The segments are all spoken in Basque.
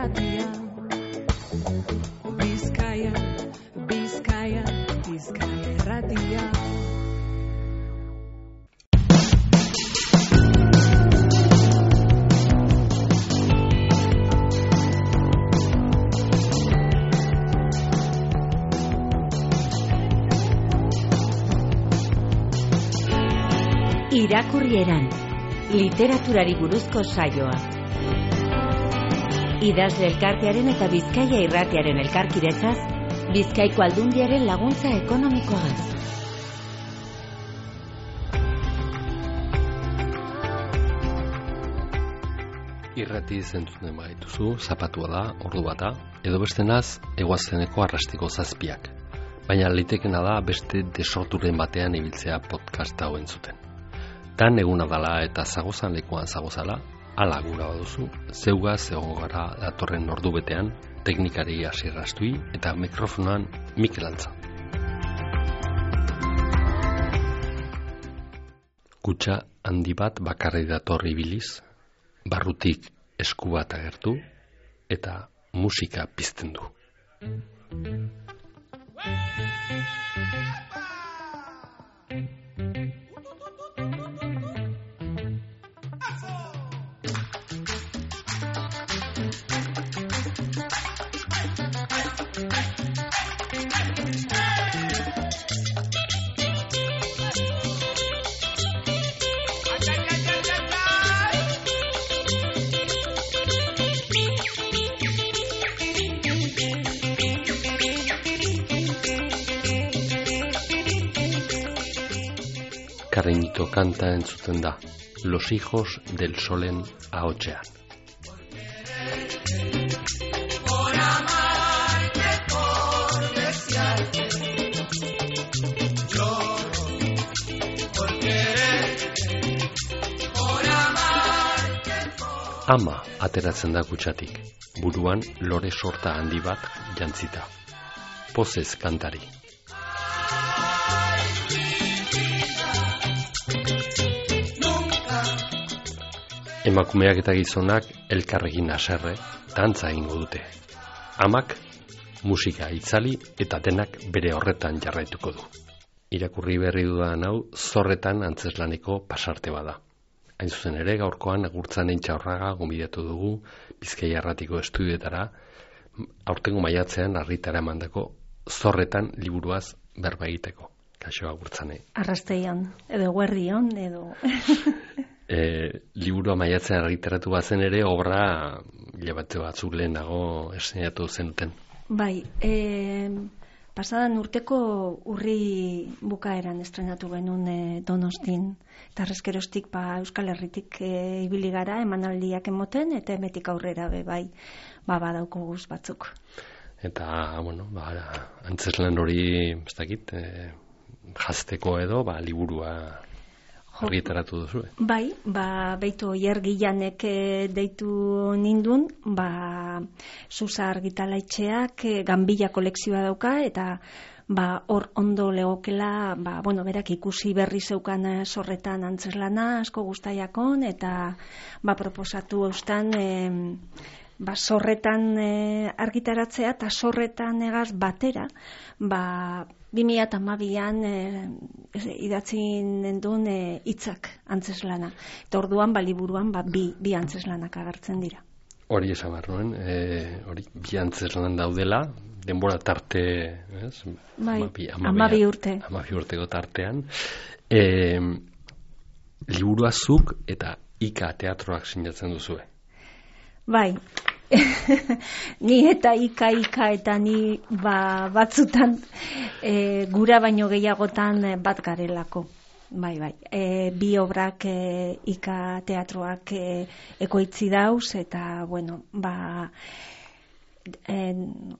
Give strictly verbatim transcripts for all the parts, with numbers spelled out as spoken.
irratia. Bizkaia, Bizkaia, Bizkaia irratia. Irakurrieran, literaturari buruzko saioa. Idazle elkartearen eta Bizkaia irratiaren elkarkidetzaz, Bizkaiko Aldundiaren laguntza ekonomikoaz. Irrati zentzuten baituzu, zapatua da, ordu bata, edo bestenaz, eguazteneko arrastiko zazpiak. Baina litekena da beste desorturen batean ibiltzea podcast hau entzuten. Tan eguna dala eta zagozan lekuan zagozala, ala gura baduzu, zeugaz egongo gara datorren ordu betean, teknikari Asier Astui eta mikrofonoan Mikel Antza. Kutxa handi bat bakarri datorri biliz, barrutik esku bat agertu eta musika pizten du. Cariñito kanta entzuten da, Los hijos del solen ahotsean. Por amarte, por desearte, lloro por quererte, por amarte, por... Ama ateratzen da kutxatik, buruan lore sorta handi bat jantzita. Pozez kantari. Emakumeak eta gizonak elkarrekin haserre, dantza egingo dute. Amak musika itzali eta denak bere horretan jarraituko du. Irakurri berri dudan hau Zorretan antzeslaneko pasarte bada. Hain zuzen ere gaurkoan Agurtzanen Txaurraga gonbidatu dugu Bizkaia Irratiko estudioetara, aurtengo maiatzean argitara emandako Zorretan liburuaz berba egiteko. Kaixo Agurtzane. Arrasteion, edo guerdion, edo... E, liburua maiatzean argitaratu bazen ere obra hilabete batzuk lehenago eszenatu zenuten. Bai, e, pasadan urteko urri bukaeran estrenatu genuen e, Donostin. Eta arrezkerostik ba, Euskal Herritik e, ibili gara emanaldiak emoten eta emetik aurrera be bai ba, badauko guz batzuk. Eta, bueno, ba, antzeslan hori, ez dakit, e, jazteko edo, ba, liburua... argitaratu duzu, eh? Bai, ba, beitu Oier Gilanek deitu nindun, ba, Susa argitalaitxeak Ganbila kolekzioa dauka, eta ba, hor ondo legokela, ba, bueno, berak ikusi berri zeukan Zorretan antzeslana, asko gustaiakon, eta ba, proposatu eustan, e, ba, Zorretan e, argitaratzea, eta Zorretan egaz batera, ba, bi mila hamabian e, idatzi nendun hitzak e, antzeslana. Eta orduan, ba, liburuan, ba, bi, bi antzeslanak agertzen dira. Hori esan behar nuen, e, hori bi antzeslan daudela, denbora tarte, ez? Bai, amabi, amabi urte. Amabi urteko tartean. E, liburua zuk eta Ika teatroak sinatzen duzue. Bai, ni eta ika ika eta ni ba, batzutan e, gura baino gehiagotan bat garelako. Bai, bai. E, bi obrak e, Ika teatroak e, ekoitzi dauz eta, bueno, ba, e,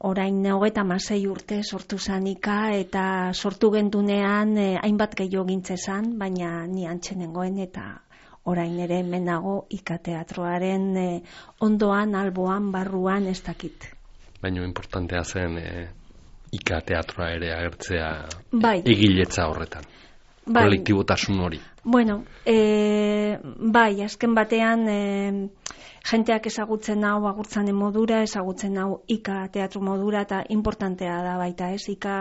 orain hogeita hamasei urte sortu zan Ika eta sortu gendunean e, hainbat gehiago gintzezan, baina ni antxenengoen eta orain ere hemen nago Ika teatroaren e, ondoan, alboan, barruan ez dakit. Baina importantea zen e, Ika teatroa ere agertzea bai. Egiletza horretan. bai. kolektibotasun hori. Bueno, e, bai, azken batean e, jenteak ezagutzen hau agurtzanen modura, ezagutzen hau ika teatro modura, eta importantea da baita, ez? Ika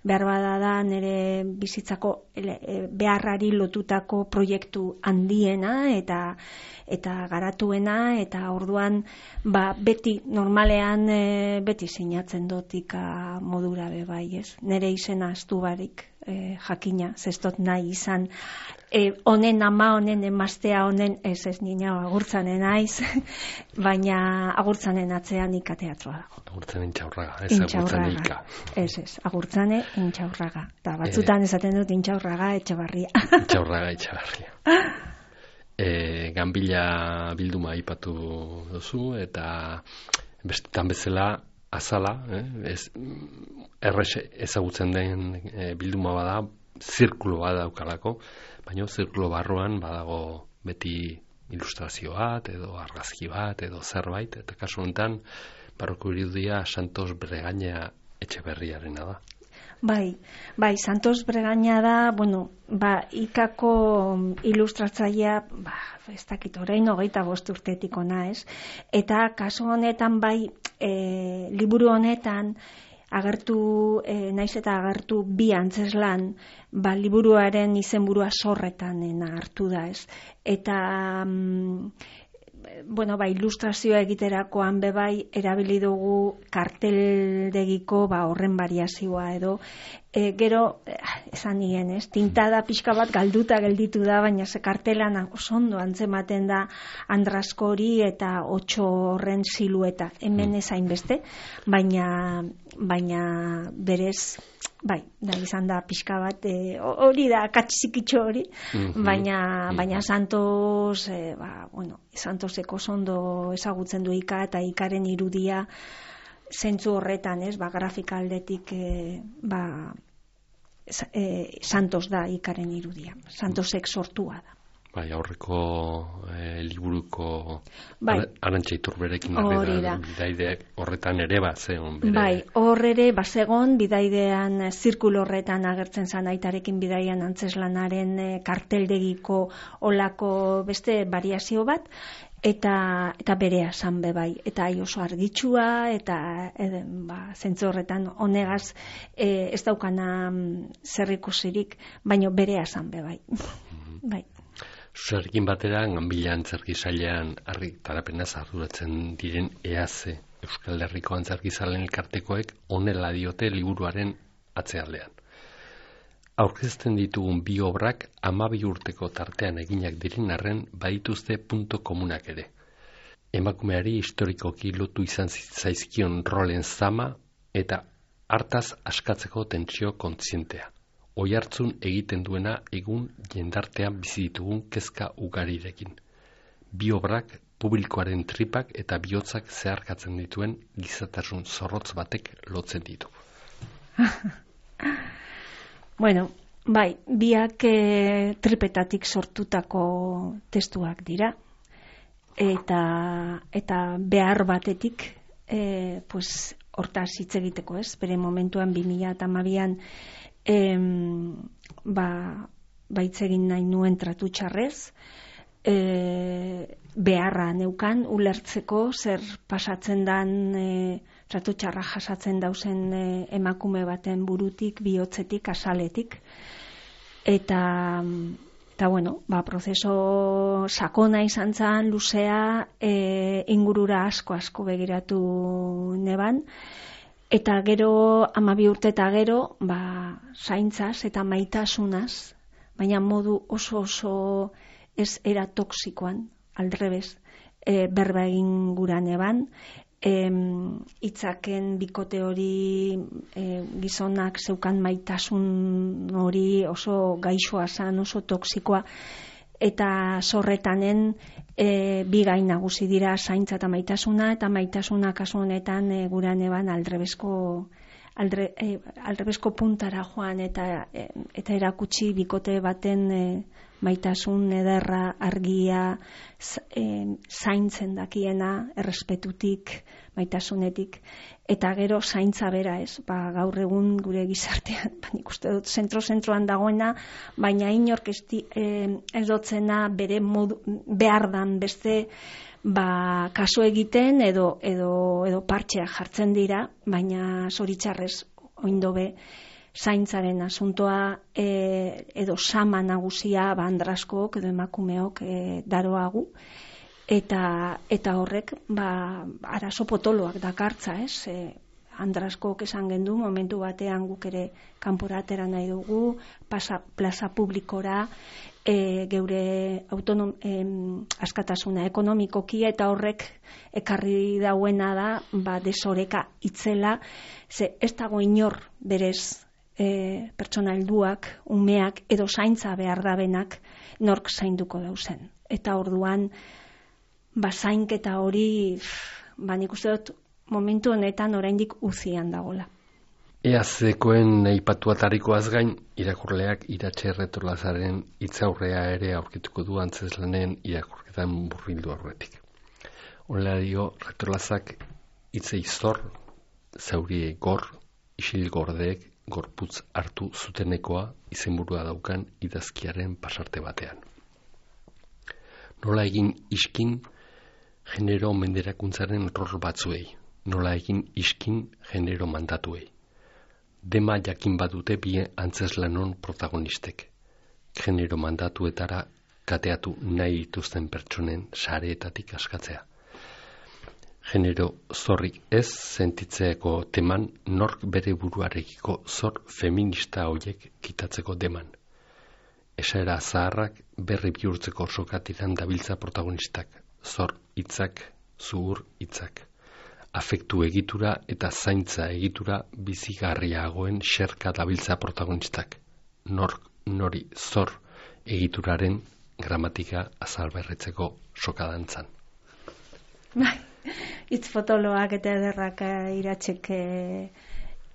behar bada da nire bizitzako e, beharrari lotutako proiektu handiena eta eta garatuena, eta orduan ba, beti normalean e, beti sinatzen dut ika modura be bai, ez? Nire izena astu barik e, jakina, zestot nahi izan E, honen ama, honen emaztea, honen ez ez nina agurtzanen naiz, baina agurtzanen atzean ika teatroa dago. Agurtzanen intxaurraga, ez agurtzanen ika. Ez ez, agurtzane intxaurraga. Eta batzutan e, esaten dut intxaurraga etxebarria. Intxaurraga etxebarria. e, Ganbila bilduma aipatu duzu, eta bestetan bezala azala, eh? ez, errex ezagutzen den e, bilduma bada, zirkulo bat daukalako, baina zirkulo barruan badago beti ilustrazio bat, edo argazki bat, edo zerbait, eta kasu honetan, barroko irudia Santos Bregaña Etxeberriarena da. Bai, bai, Santos Bregaña da, bueno, ba, ikako ilustratzailea, ba, ez dakit orain hogeita bost urtetik ona, ez? Eta kasu honetan bai, e, liburu honetan, agertu, e, naiz eta agertu bi antzeslan, ba, liburuaren izenburua Zorretan hartu da, ez? Eta, mm, bueno, ba, ilustrazioa egiterakoan bebai, erabili dugu karteldegiko, ba, horren variazioa edo, e, gero, esan nien, ez? Tintada pixka bat galduta gelditu da, baina ze kartelan oso ondo antzematen da Andraskori eta otxo horren silueta. Hemen ez hainbeste, baina baina berez, bai, da izan da pixka bat, e, hori da katxikitxo hori, mm-hmm. baina, baina Santos, e, ba, bueno, Santoseko ondo ezagutzen du ika, eta ikaren irudia zentzu horretan, ez, ba, grafika aldetik, e, ba, e, Santos da ikaren irudia, Santosek sortua da. Bai, aurreko e, liburuko bai. Arantxa Iturberekin ari da, bidaideak horretan ere bat zegoen bere. Bai, hor ere bat zegoen, bidaidean zirkulo horretan agertzen zan aitarekin bidaian antzeslanaren e, karteldegiko olako beste variazio bat, eta eta berea zan be bai, eta ai oso argitsua, eta e, ba, zentzu horretan honegaz e, ez daukana zer ikusirik, baino berea zan be bai. Mm-hmm. Bai. Zuzarekin batera, Ganbila Antzerki Sailean argitarapenaz arduratzen diren EAZE, Euskal Herriko Antzerkizaleen elkartekoek honela diote liburuaren atzealdean. Aurkezten ditugun bi obrak hamabi urteko tartean eginak diren arren badituzte punto komunak ere. Emakumeari historikoki lotu izan zaizkion rolen zama eta hartaz askatzeko tentsio kontzientea. Oihartzun egiten duena egun jendartean bizi ditugun kezka ugarirekin. Bi obrak publikoaren tripak eta bihotzak zeharkatzen dituen gizatasun zorrotz batek lotzen ditu. Bueno, bai, biak e, tripetatik sortutako testuak dira, eta, eta behar batetik, e, pues, hortaz hitz egiteko, ez? Bere momentuan bi mila hamabian Em, ba, baitzegin nahi nuen tratu txarrez, e, beharra neukan ulertzeko zer pasatzen dan e, tratu txarra jasatzen dauzen e, emakume baten burutik, bihotzetik, azaletik, eta eta bueno, ba, prozeso sakona izan zan, luzea, e, ingurura asko asko begiratu neban. Eta gero, hamabi urte eta gero, ba, zaintzaz eta maitasunaz, baina modu oso oso ez era toksikoan, aldrebez, e, berba egin guran eban, e, itzaken bikote hori e, gizonak zeukan maitasun hori oso gaixoa zan, oso toksikoa, eta zorretanen e, bi gai nagusi dira zaintza eta maitasuna, eta maitasuna kasu honetan e, guran eban aldrebesko aldre, e, aldrebesko puntara joan eta e, eta erakutsi bikote baten e, maitasun ederra, argia, zaintzen dakiena, errespetutik, maitasunetik, eta gero zaintza bera, ez, ba, gaur egun gure gizartean, ba, nik uste dut zentro-zentroan dagoena, baina inork ez dotzena bere modu, behar dan beste, ba, kaso egiten edo, edo, edo partxeak jartzen dira, baina zoritxarrez oindobe zaintzaren asuntoa e, edo sama nagusia ba, andraskok edo emakumeok e, daroagu, eta, eta horrek ba, arazo potoloak dakartza, ez? E, andraskok esan gendu, momentu batean guk ere kanpora atera nahi dugu, pasa, plaza publikora, E, geure autonom, em, askatasuna ekonomikoki, eta horrek ekarri dauena da ba, desoreka itzela, ze ez dago inor berez e, pertsona helduak, umeak edo zaintza behar dabenak nork zainduko dauzen. Eta orduan ba, zainketa hori ba, nik uste dut momentu honetan oraindik uzian dagola. Eazekoen aipatu atarikoaz gain, irakurleak Iratxe Erretolazaren hitzaurrea ere aurkituko du antzeslanen irakurketan burbildu aurretik. Horrela dio, Erretolazak hitzei zor, zaurie gor, isil gordeek gorputz hartu zutenekoa izenburua daukan idazkiaren pasarte batean. Nola egin iskin genero menderakuntzaren rol batzuei, nola egin iskin genero mandatuei. Dema jakin badute bi antzeslanon protagonistek. Genero mandatuetara kateatu nahi dituzten pertsonen sareetatik askatzea. Genero zorrik ez sentitzeeko teman nork bere buruarekiko zor feminista hoiek kitatzeko deman. Esaera zaharrak berri bihurtzeko sokatiran dabiltza protagonistak, zor hitzak, zuhur hitzak. Afektu egitura eta zaintza egitura bizigarriagoen xerka dabiltza protagonistak. Nork nori zor egituraren gramatika azalberritzeko sokadantzan. Bai, hitz potoloak eta ederrak Iratxek e,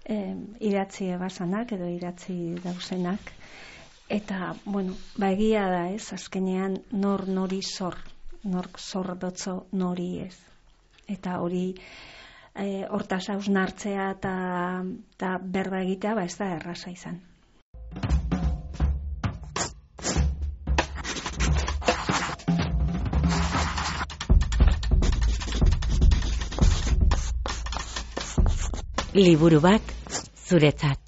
e, iratzi ebasanak edo iratzi dauzenak. Eta, bueno, ba egia da ez, azkenean nor nori zor, nork zor dotzo nori ez. Eta hori e, hortaz hausnartzea eta, eta berba egitea ba ez da erraza izan. Liburu bat zuretzat.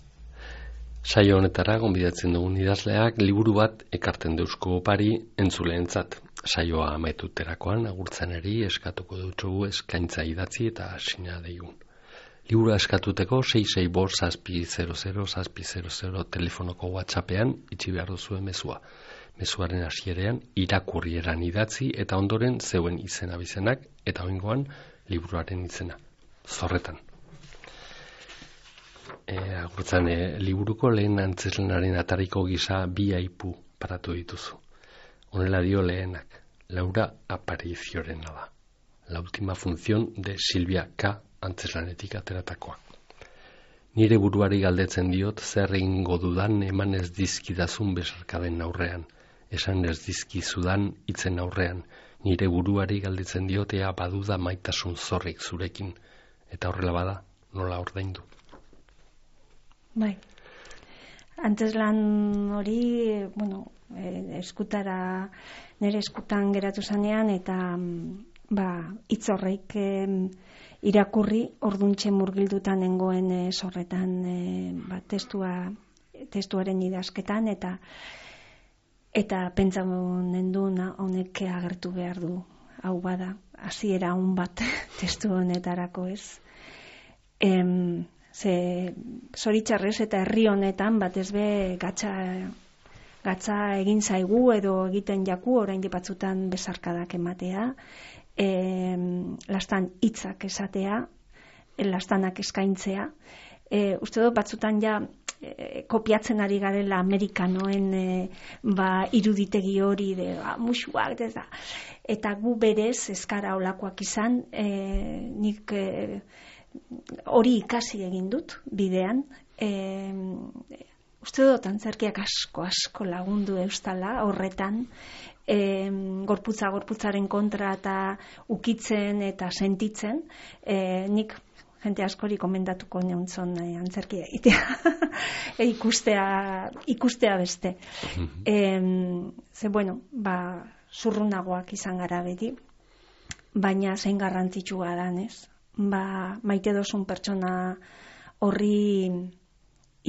Saio honetara gonbidatzen dugun idazleak liburu bat ekarten deusko opari entzuleentzat. Saioa ametuterakoan agurtzeneri eskatuko dutxugu eskaintza idatzi eta sina deigun. Liburua eskatuteko sei sei bost zazpi zero zero zazpi zero zero telefonoko WhatsAppean itxi behar duzuen mezua. Mezuaren hasierean irakurrieran idatzi eta ondoren zeuen izena bizenak eta oingoan liburuaren izena. Zorretan. E, agurtzen e, liburuko lehen antzeslenaren atariko gisa bi aipu paratu dituzu. Honela dio lehenak, Laura Apariciorena da. La última función de Silvia K. antzeslanetik ateratakoa. Nire buruari galdetzen diot zer egingo dudan eman ez dizkidazun besarkaden aurrean. Esan ez dizkizudan hitzen aurrean. Nire buruari galdetzen diot ea baduda maitasun zorrik zurekin. Eta horrela bada, nola ordaindu. Bai. Antzeslan hori, bueno, eskutara, nire eskutan geratu zanean, eta ba, hitz horreik e, irakurri, orduntxe murgildutan nengoen e, zorretan e, ba, testua, testuaren idazketan, eta eta pentsatzen nendun honek agertu behar du, hau bada, hasiera on bat testu honetarako ez. Em, ze zoritxarrez eta herri honetan batez be gatza gatza egin zaigu edo egiten jaku oraindik batzutan besarkadak ematea, e, lastan hitzak esatea, lastanak eskaintzea. E, uste dut batzutan ja e, kopiatzen ari garela amerikanoen e, ba, iruditegi hori de ba, musuak eta, eta gu berez eskara olakoak izan, e, nik e, hori ikasi egin dut bidean, e, uste dut antzerkiak asko, asko lagundu eustala horretan, e, gorputza, gorputzaren kontra eta ukitzen eta sentitzen, e, nik jente askori komendatuko neuntzon e, antzerkia egitea, e, ikustea, ikustea beste. e, ze, bueno, ba, zurrunagoak izan gara beti, baina zein garrantzitsua dan, ez? Ba, maite dozun pertsona horri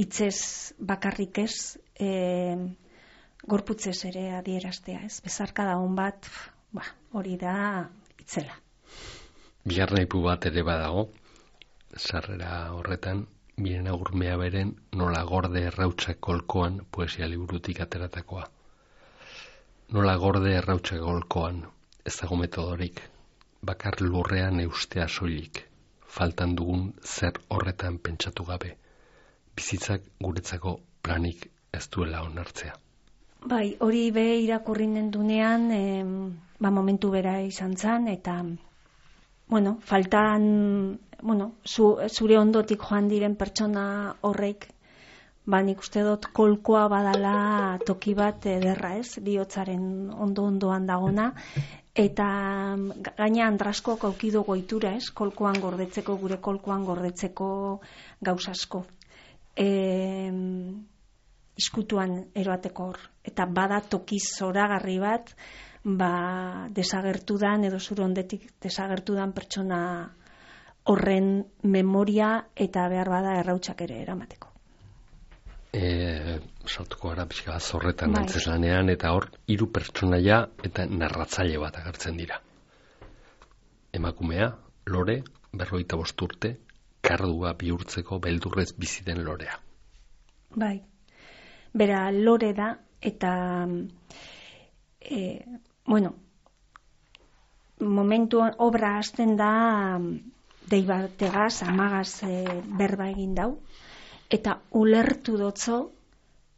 hitzez bakarrik ez, e, gorputzez ere adieraztea, ez? Bezarkada hon bat, ba, hori da itzela. Bigarren aipu bat ere badago, sarrera horretan, Mirena Urmea beren Nola gorde errautsak golkoan poesia liburutik ateratakoa. Nola gorde errautsak golkoan, ez dago metodorik, bakar lurrean eustea soilik, faltan dugun zer horretan pentsatu gabe, bizitzak guretzako planik ez duela onartzea. Bai, hori be irakurri nendunean, eh, ba, momentu bera izan zen, eta, bueno, faltan, bueno, zu, zure ondotik joan diren pertsona horrek, ba, nik uste dut kolkoa badala toki bat ederra, ez, bihotzaren ondo-ondoan dagona, eta gaina Andraskok aukido goitura, ez, kolkoan gordetzeko, gure kolkoan gordetzeko gauzasko. E, iskutuan eroateko hor. Eta bada toki zoragarri bat, ba, desagertudan edo zure ondetik desagertudan pertsona horren memoria eta behar bada errautsak ere eramateko. E, sartuko gara pixka bat zorretan bai. Antzeslanean, eta hor hiru pertsonaia eta narratzaile bat agertzen dira. Emakumea, Lore, berrogeita bost urte, kardua bihurtzeko beldurrez bizi den Lorea. Bai. Bera, Lore da, eta e, bueno, momentuan obra hasten da dei bategaz, amagaz e, berba egin dau, eta ulertu dotzo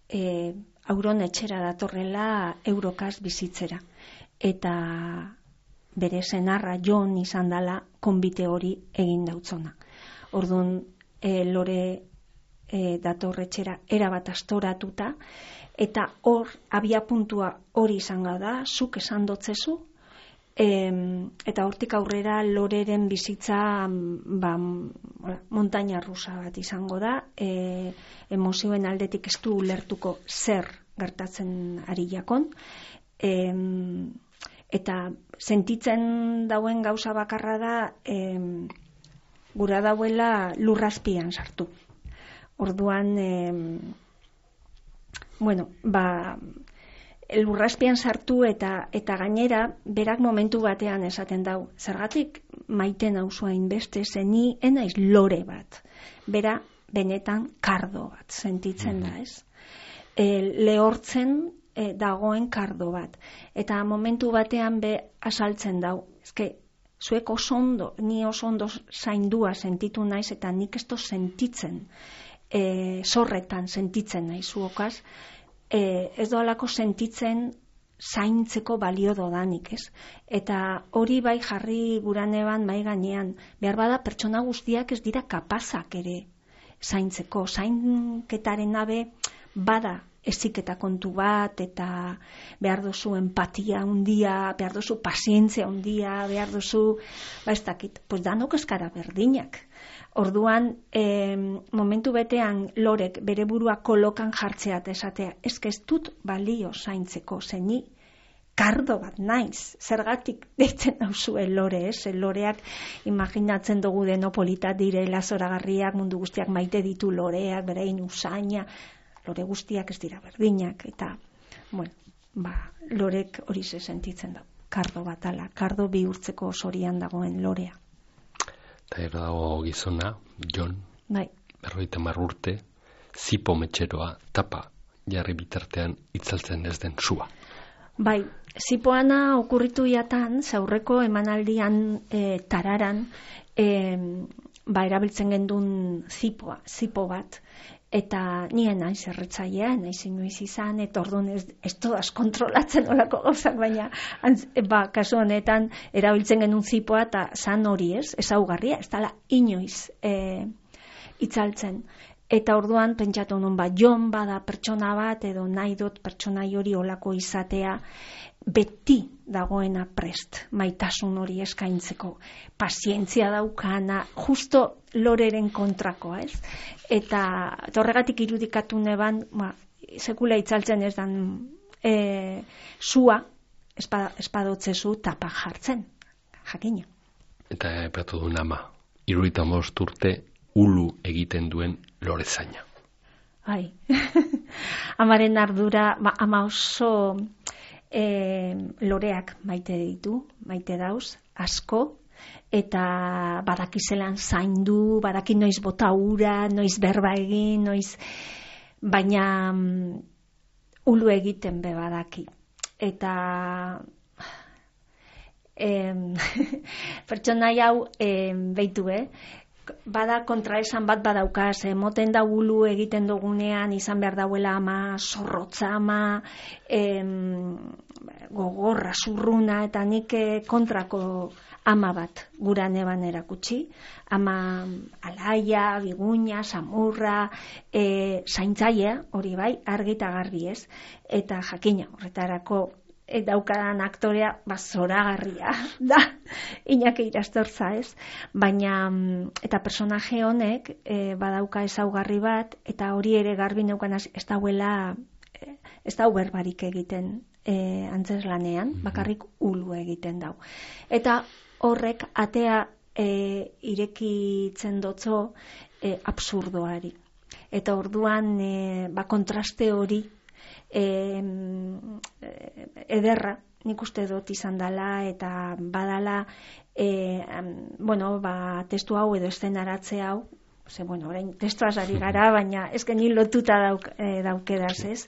e, auron etxera datorrela Eurokaz bizitzera. Eta bere senarra Jon izan dala konbite hori egin dautzona. Orduan, e, Lore e, datorretxera erabat astoratuta, eta hor, abia puntua hori izango da, zuk esan dotzezu, e, eta hortik aurrera Loreren bizitza ba, montaña rusa bat izango da, e, emozioen aldetik ez du ulertuko zer gertatzen ari jakon, e, eta sentitzen dauen gauza bakarra da, e, gura dauela lurrazpian sartu. Orduan, eh, bueno, ba, lurrazpian sartu eta eta gainera, berak momentu batean esaten dau, zergatik maite nauzua inbeste, zeni enaiz Lore bat. Bera, benetan kardo bat sentitzen da, ez? E, lehortzen e, dagoen kardo bat. Eta momentu batean be asaltzen dau, ezke, zuek oso ondo, ni oso ondo zaindua sentitu naiz, eta nik esto sentitzen, e, zorretan sentitzen naiz zuokaz, e, ez doalako sentitzen zaintzeko balio dodanik, ez? Eta hori bai jarri guraneban mai gainean, behar bada pertsona guztiak ez dira kapazak ere zaintzeko, zainketaren nabe bada eziketa kontu bat, eta behar duzu empatia handia, behar duzu pazientzia handia, behar duzu, ba ez dakit, pues danok eskara berdinak. Orduan, eh, momentu betean Lorek bere burua kolokan jartzea eta esatea, eske ez dut balio zaintzeko, zeni kardo bat naiz, zergatik deitzen dauzue Lore, ez? Loreak imaginatzen dugu denopolita direla zoragarriak, mundu guztiak maite ditu Loreak, berein usaina, Lore guztiak ez dira berdinak, eta, bueno, ba, Lorek hori ze sentitzen da, kardo bat ala, kardo bihurtzeko sorian dagoen Lorea. Eta ero dago gizona, Jon, bai. berrogeita hamar urte, zipo metxeroa, tapa, jarri bitartean itzaltzen ez den sua. Bai, zipoana okurritu jatan, zaurreko emanaldian e, tararan, e, ba, erabiltzen gendun zipoa, zipo bat, eta nien naiz erretzailea, naiz inoiz izan, eta orduan ez, ez todas kontrolatzen olako gauzak, baina antz, ba, kasu honetan erabiltzen genuen zipoa, eta zan hori ez, ezaugarria, ez dala inoiz e, itzaltzen. Eta orduan pentsatu nun, ba, Jon bada pertsona bat, edo nahi dut pertsonai hori olako izatea, beti dagoena prest, maitasun hori eskaintzeko, pazientzia daukana, justo loreren kontrakoa, ez? Eta horregatik irudikatu neban, ba, sekula itzaltzen ez dan e, zua, espadotzezu tapa jartzen, jakina. Eta epatu duen ama, iruita most urte ulu egiten duen lorezaina. Ai, amaren ardura, ba, ama oso e, loreak maite ditu, maite dauz, asko, eta badakizelan zaindu, badaki noiz bota ura, noiz berba egin, noiz, baina um, ulu egiten be badaki. Eta em, pertsonai hau em, beitu, eh? Bada kontraesan bat badaukaz, moten da ulu egiten dugunean izan behar dauela ama, zorrotza ama, em, gogorra, zurruna, eta nik kontrako ama bat gura neban erakutsi. Ama alaia, biguña, samurra, e, zaintzaia, hori bai, argi eta garbi ez. Eta jakina, horretarako daukadan aktorea bazoragarria da, Iñaki Irastorza, ez? Baina, eta personaje honek e, badauka ezaugarri bat, eta hori ere garbi neukanaz, ez dauela, ez dau berbarik egiten e, antzeslanean, bakarrik ulu egiten dau. Eta horrek atea e, irekitzen dotzo e, absurdoari. Eta orduan, e, ba, kontraste hori E, ederra, nik uste dut izan dela, eta badala, e, bueno, ba, testu hau edo eszenaratze hau, ze, bueno, orain testuaz ari gara, baina ez geni lotuta dauk, e, daukedaz, ez?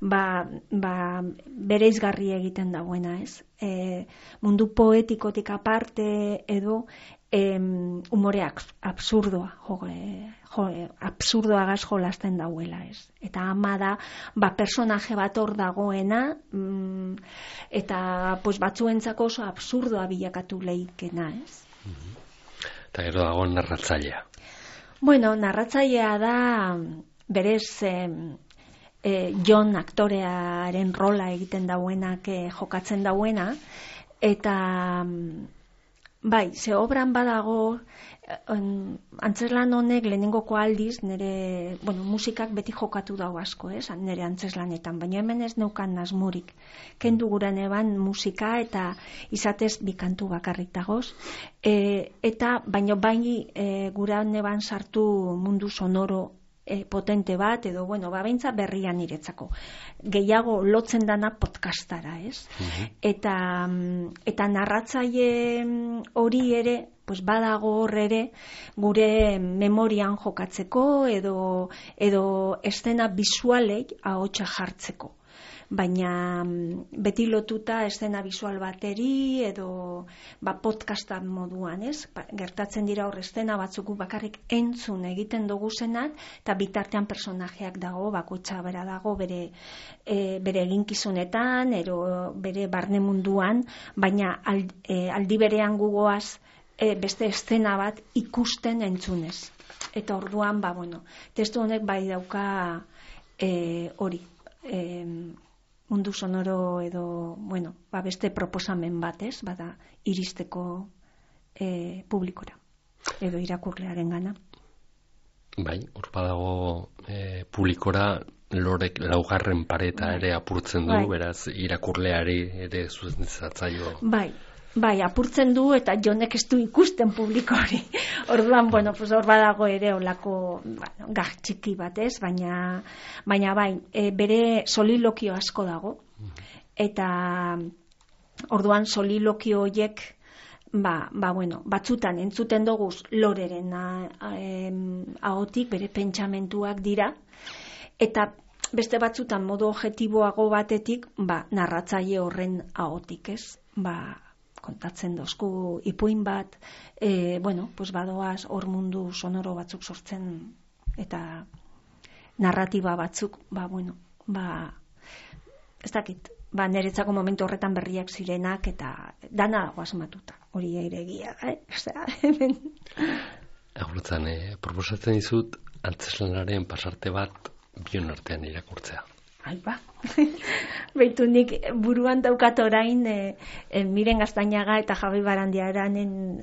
Ba, ba, bereizgarri egiten dagoena, ez? E, mundu poetikotik aparte edo, em, umoreak absurdoa, jo, jo, absurdoagaz jolasten dauela, ez. Eta ama da, ba, personaje bat hor dagoena, mm, eta pues, batzuentzako oso absurdoa bilakatu leikena, ez. Eta gero dago narratzailea. Bueno, narratzailea da, berez, eh, eh, Jon aktorearen rola egiten dauenak eh, jokatzen dauena, eta bai, ze obran badago, on, antzeslan honek lehenengoko aldiz, nire, bueno, musikak beti jokatu dau asko, ez, nire antzeslanetan, baina hemen ez neukan nasmurik. Kendu guran eban musika eta izatez bikantu bakarrik dagoz, e, eta baina baini e, guran eban sartu mundu sonoro e, potente bat, edo, bueno, ba, beintza berrian niretzako. Gehiago lotzen dana podcastara, ez? Uh-huh. Eta, eta narratzaile hori ere, pues badago hor ere, gure memorian jokatzeko, edo, edo estena bisualei ahotsa jartzeko. Baina beti lotuta estena bisual bateri edo ba, podcastan moduan, ez? Ba, gertatzen dira hor estena batzuk bakarrik entzun egiten dugu zenat, eta bitartean personajeak dago, bakoitza bera dago bere, e, bere eginkizunetan, ero bere barne munduan, baina aldi, e, aldi berean gugoaz e, beste estena bat ikusten entzunez. Eta orduan, ba, bueno, testu honek bai dauka e, hori, e, mundu sonoro edo, bueno, ba beste proposamen bat, ez? Bada iristeko e, publikora edo irakurlearen gana. Bai, hor badago e, publikora lorek laugarren pareta ere apurtzen du, bai. Beraz irakurleari ere zuzentzaio. Bai. Bai, apurtzen du eta Jonek ez du ikusten publiko hori. Orduan, bueno, pues hor badago ere olako, bueno, gag txiki bat, ez? Baina, baina bai, e, bere solilokio asko dago. Eta orduan solilokio horiek, ba, ba bueno, batzutan entzuten dugu loreren ahotik, bere pentsamentuak dira, eta beste batzutan modu objektiboago batetik, ba, narratzaile horren ahotik, ez? Ba, kontatzen dozku ipuin bat, e, bueno, pues badoaz hor mundu sonoro batzuk sortzen eta narratiba batzuk, ba, bueno, ba, ez dakit, ba, niretzako momentu horretan berriak zirenak eta dana dago asmatuta, hori ere egia, eh? Osea, hemen. Agurutzen, eh, proposatzen dizut, antzeslanaren pasarte bat bion artean irakurtzea. Ai ba, behitu nik buruan daukat orain e, e, Miren Gaztañaga eta Javi Barandiaranen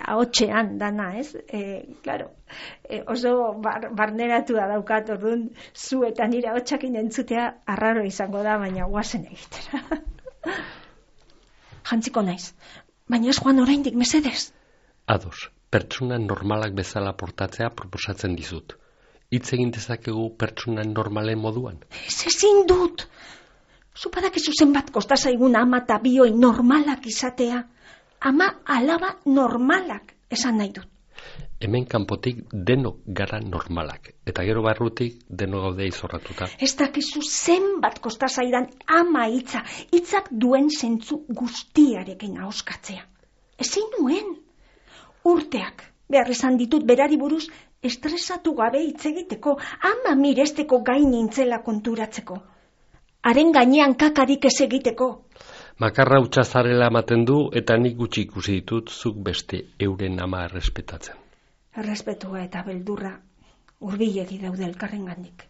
ahotsean dana, ez? E, claro, e, oso bar, barneratu da daukat, orduan zu eta nire ahotsakin entzutea arraro izango da, baina guazen egitera. Jantziko naiz, baina ez joan oraindik mesedez. Ados, pertsona normalak bezala portatzea proposatzen dizut. Hitz egin dezakegu pertsona normalen moduan? Ez ezin dut. Zupadakizu zenbat kosta zaigun ama eta bioi normalak izatea. Ama alaba normalak esan nahi dut. Hemen kanpotik denok gara normalak. Eta gero barrutik denok gaude izorratuta. Ez dakizu zenbat kosta zaidan ama hitza. Hitzak duen zentzu guztiarekin ahoskatzea. Ezin nuen. Urteak behar izan ditut berari buruz estresatu gabe hitz egiteko, ama miresteko gain nintzela konturatzeko. Haren gainean kakarik ez egiteko. Makarra hutsa zarela ematen du eta nik gutxi ikusi ditut zuk beste euren ama errespetatzen. Errespetua eta beldurra hurbilegi daude elkarrengandik.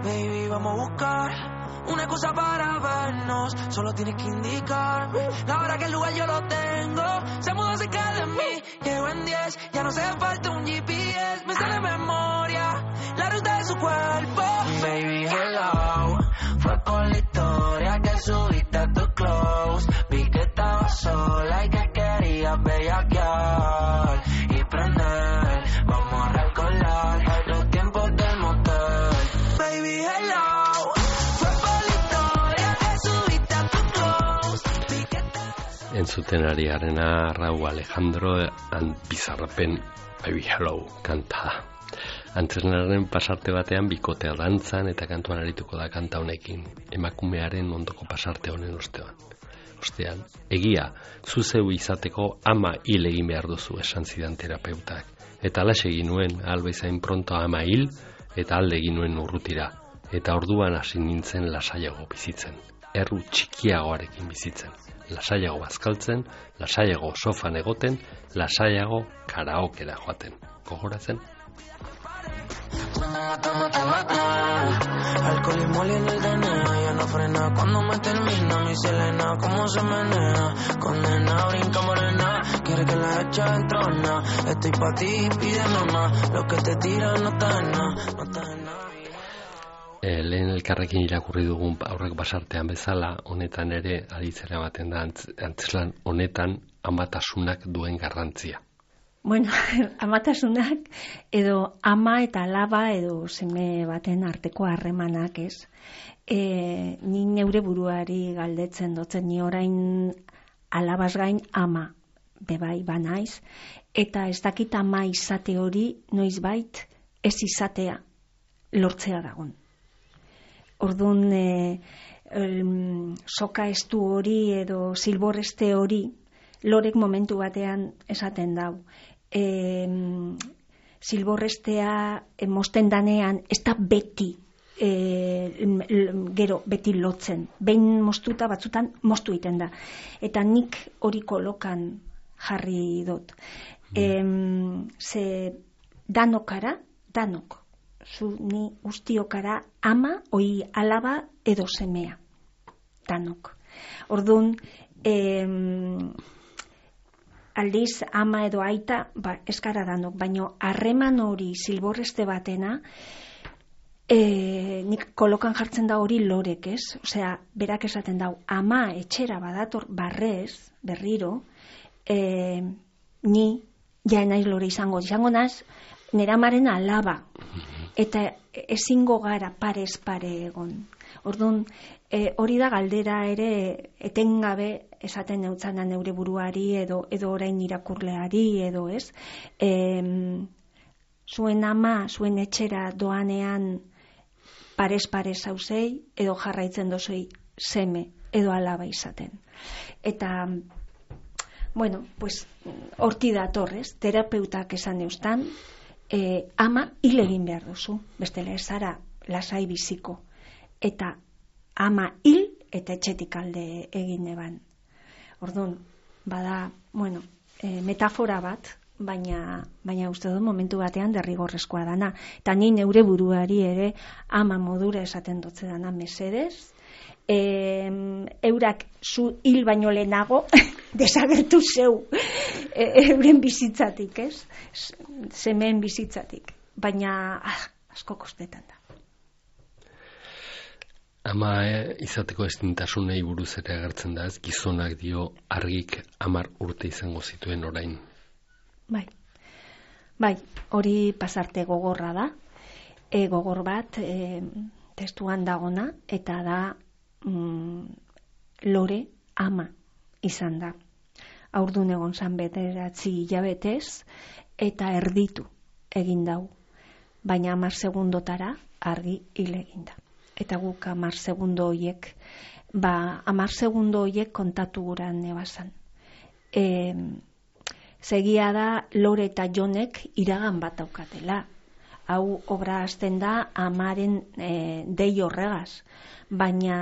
Baby, vamos a buscar una cosa para vernos. Solo tienes que indicarme la hora que el lugar yo lo tengo. Se mudó cerca de mí, llego en diez. Ya no hace falta un G P S. Me sale de memoria la ruta de su cuerpo. Baby, hello. Fue por la historia que subiste a tu close. Vi que estaba sola y que querías bellaquear y prender. Vamos a recordar los tiempos del motel. Baby, hello. Fue por la historia que subiste a tu close. Vi que estaba sola. Entzuten ari garena Raúl Alejandro and Bizarrapen Baby Hello kanta. Antzeslanaren pasarte batean bikotea dantzan eta kantuan arituko da kanta honekin, emakumearen ondoko pasarte honen ostean. Ostean, egia, zu zeu izateko ama hil egin behar duzu esan zidan terapeutak. Eta alaxe egin nuen, alba izain pronto ama hil, eta alde egin nuen urrutira. Eta orduan hasi nintzen lasaiago bizitzen. Erru txikiagoarekin bizitzen. Lasaiago bazkaltzen, lasaiago sofan egoten, lasaiago karaokera joaten. Gogoratzen? Alcoholismo en el D N A, ya no frena cuando me termina mi Selena, cómo se menea, condena, brinca morena, quiere que la echa dentro, na, estoy pa' ti, pídeme más, lo que te tiran no está en nada, no está en nada. E, lehen elkarrekin irakurri dugun aurreko pasartean bezala, honetan ere aditzera ematen da antzeslan honetan amatasunak duen garrantzia. Bueno, amatasunak edo ama eta alaba edo seme baten arteko harremanak, ez? E, ni neure buruari galdetzen dotzen, ni orain alabaz gain ama bebai banaiz, eta ez dakit ama izate hori noizbait ez izatea lortzea dagon. Orduan, e, el, soka estu hori edo silborreste hori lorek momentu batean esaten dau. E, silborrestea e, mosten danean ez da beti e, gero beti lotzen. Behin mostuta batzutan mostu egiten da. Eta nik hori kolokan jarri dut. E, ze danokara, danok. Zu ni guztiokara ama, oi alaba edo semea. Danok. Orduan, e, aldiz ama edo aita, ba, eskara danok, baino harreman hori silborreste batena, e, nik kolokan jartzen da hori lorek, ez? Osea, berak esaten dau, ama etxera badator barrez, berriro, e, ni ja naiz lore izango, izango naz, nera amaren alaba, eta ezingo gara parez pare egon. Orduan, e, hori da galdera ere etengabe esaten neutzana neure buruari edo edo orain irakurleari edo ez. E, zuen ama, zuen etxera doanean parez pare zauzei edo jarraitzen dozei seme edo alaba izaten. Eta, bueno, pues horti datorrez, terapeutak esan eustan, e, ama hil egin behar duzu, bestela ez zara lasai biziko, eta ama hil eta etxetik alde egin eban. Orduan, bada, bueno, e, metafora bat, baina, baina uste dut momentu batean derrigorrezkoa dana. Eta ni neure buruari ere ama modura esaten dutze dana mesedez, e, eurak zu hil baino lehenago desagertu zeu e, euren bizitzatik, ez? Semeen bizitzatik. Baina ah, asko kostetan da. Ama eh, izateko estintasunei buruz ere agertzen da, ez? Gizonak dio argik hamar urte izango zituen orain. Bai, bai, hori pasarte gogorra da, e, gogor bat e, testuan dagona, eta da mm, lore ama izan da. Haurdun egon zan bederatzi hilabetez, eta erditu egin dau, baina hamar segundotara argi hil egin da. Eta guk hamar segundo hoiek, ba, hamar segundo hoiek kontatu guran nebazan. E, Segia da Lore eta Jonek iragan bat daukatela. Hau obra hasten da amaren e, dei horregaz, baina,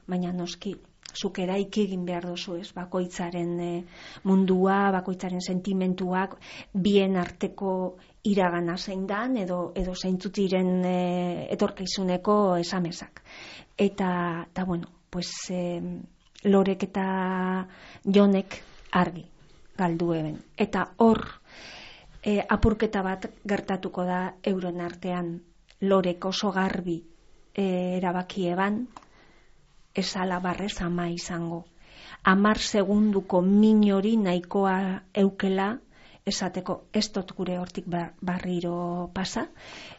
baina noski, zuk eraiki egin behar duzu, ez? Bakoitzaren e, mundua, bakoitzaren sentimentuak, bien arteko iragana zein dan, edo, edo zeintzutiren e, etorkizuneko esamezak. Eta, eta bueno, pues, e, Lorek eta Jonek argi galdu eben. Eta hor e, apurketa bat gertatuko da euren artean. Lorek oso garbi e, erabaki eban, esala barrez ama izango. Hamar segunduko min hori nahikoa eukela esateko ez dut gure hortik barriro pasa,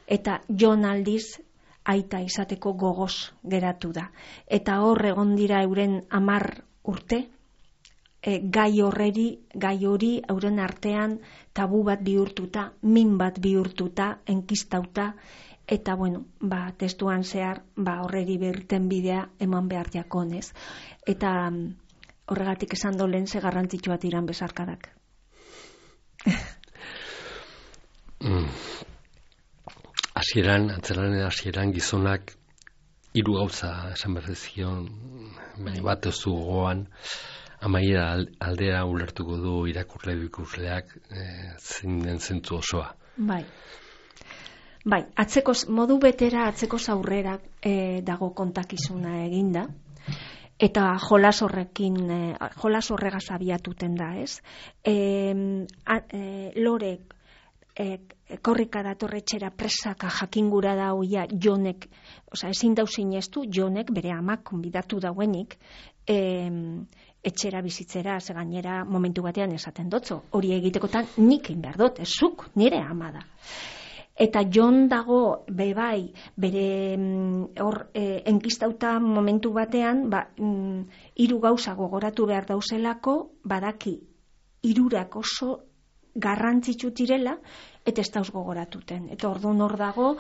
eta Jon aldiz aita izateko gogoz geratu da. Eta hor egon dira euren hamar urte, E, gai horreri, gai hori euren artean tabu bat bihurtuta, min bat bihurtuta, enkistauta, eta bueno, ba, testuan zehar, ba, horreri berten bidea eman behar jakonez. Eta horregatik esan dolen ze garrantzitsua tiran besarkadak. mm. Hasieran, antzeraren hasieran gizonak hiru gauza esan berdezion, baina bat ez du gogoan, amaiera aldera ulertuko du irakurle du ikusleak e, zein den zentzu osoa. Bai. Bai, atzeko modu betera atzeko aurrera e, dago kontakizuna eginda. Eta jolas horrekin e, jolas horregaz abiatuten da, ez? E, a, e, Lorek e, korrika datorretxera presaka jakingura da hoia Jonek, osea ezin dau sinestu Jonek bere amak konbidatu dauenik, e, etxera bizitzera, ze gainera momentu batean esaten dotzo. Hori egitekotan nik egin behar dut, ezuk, nire ama da. Eta Jon dago bebai bere hor e, enkistauta momentu batean, ba, mm, hiru gauza gogoratu behar dauzelako, badaki hirurak oso garrantzitsu direla, eta ez dauz gogoratuten. Eta orduan hor dago,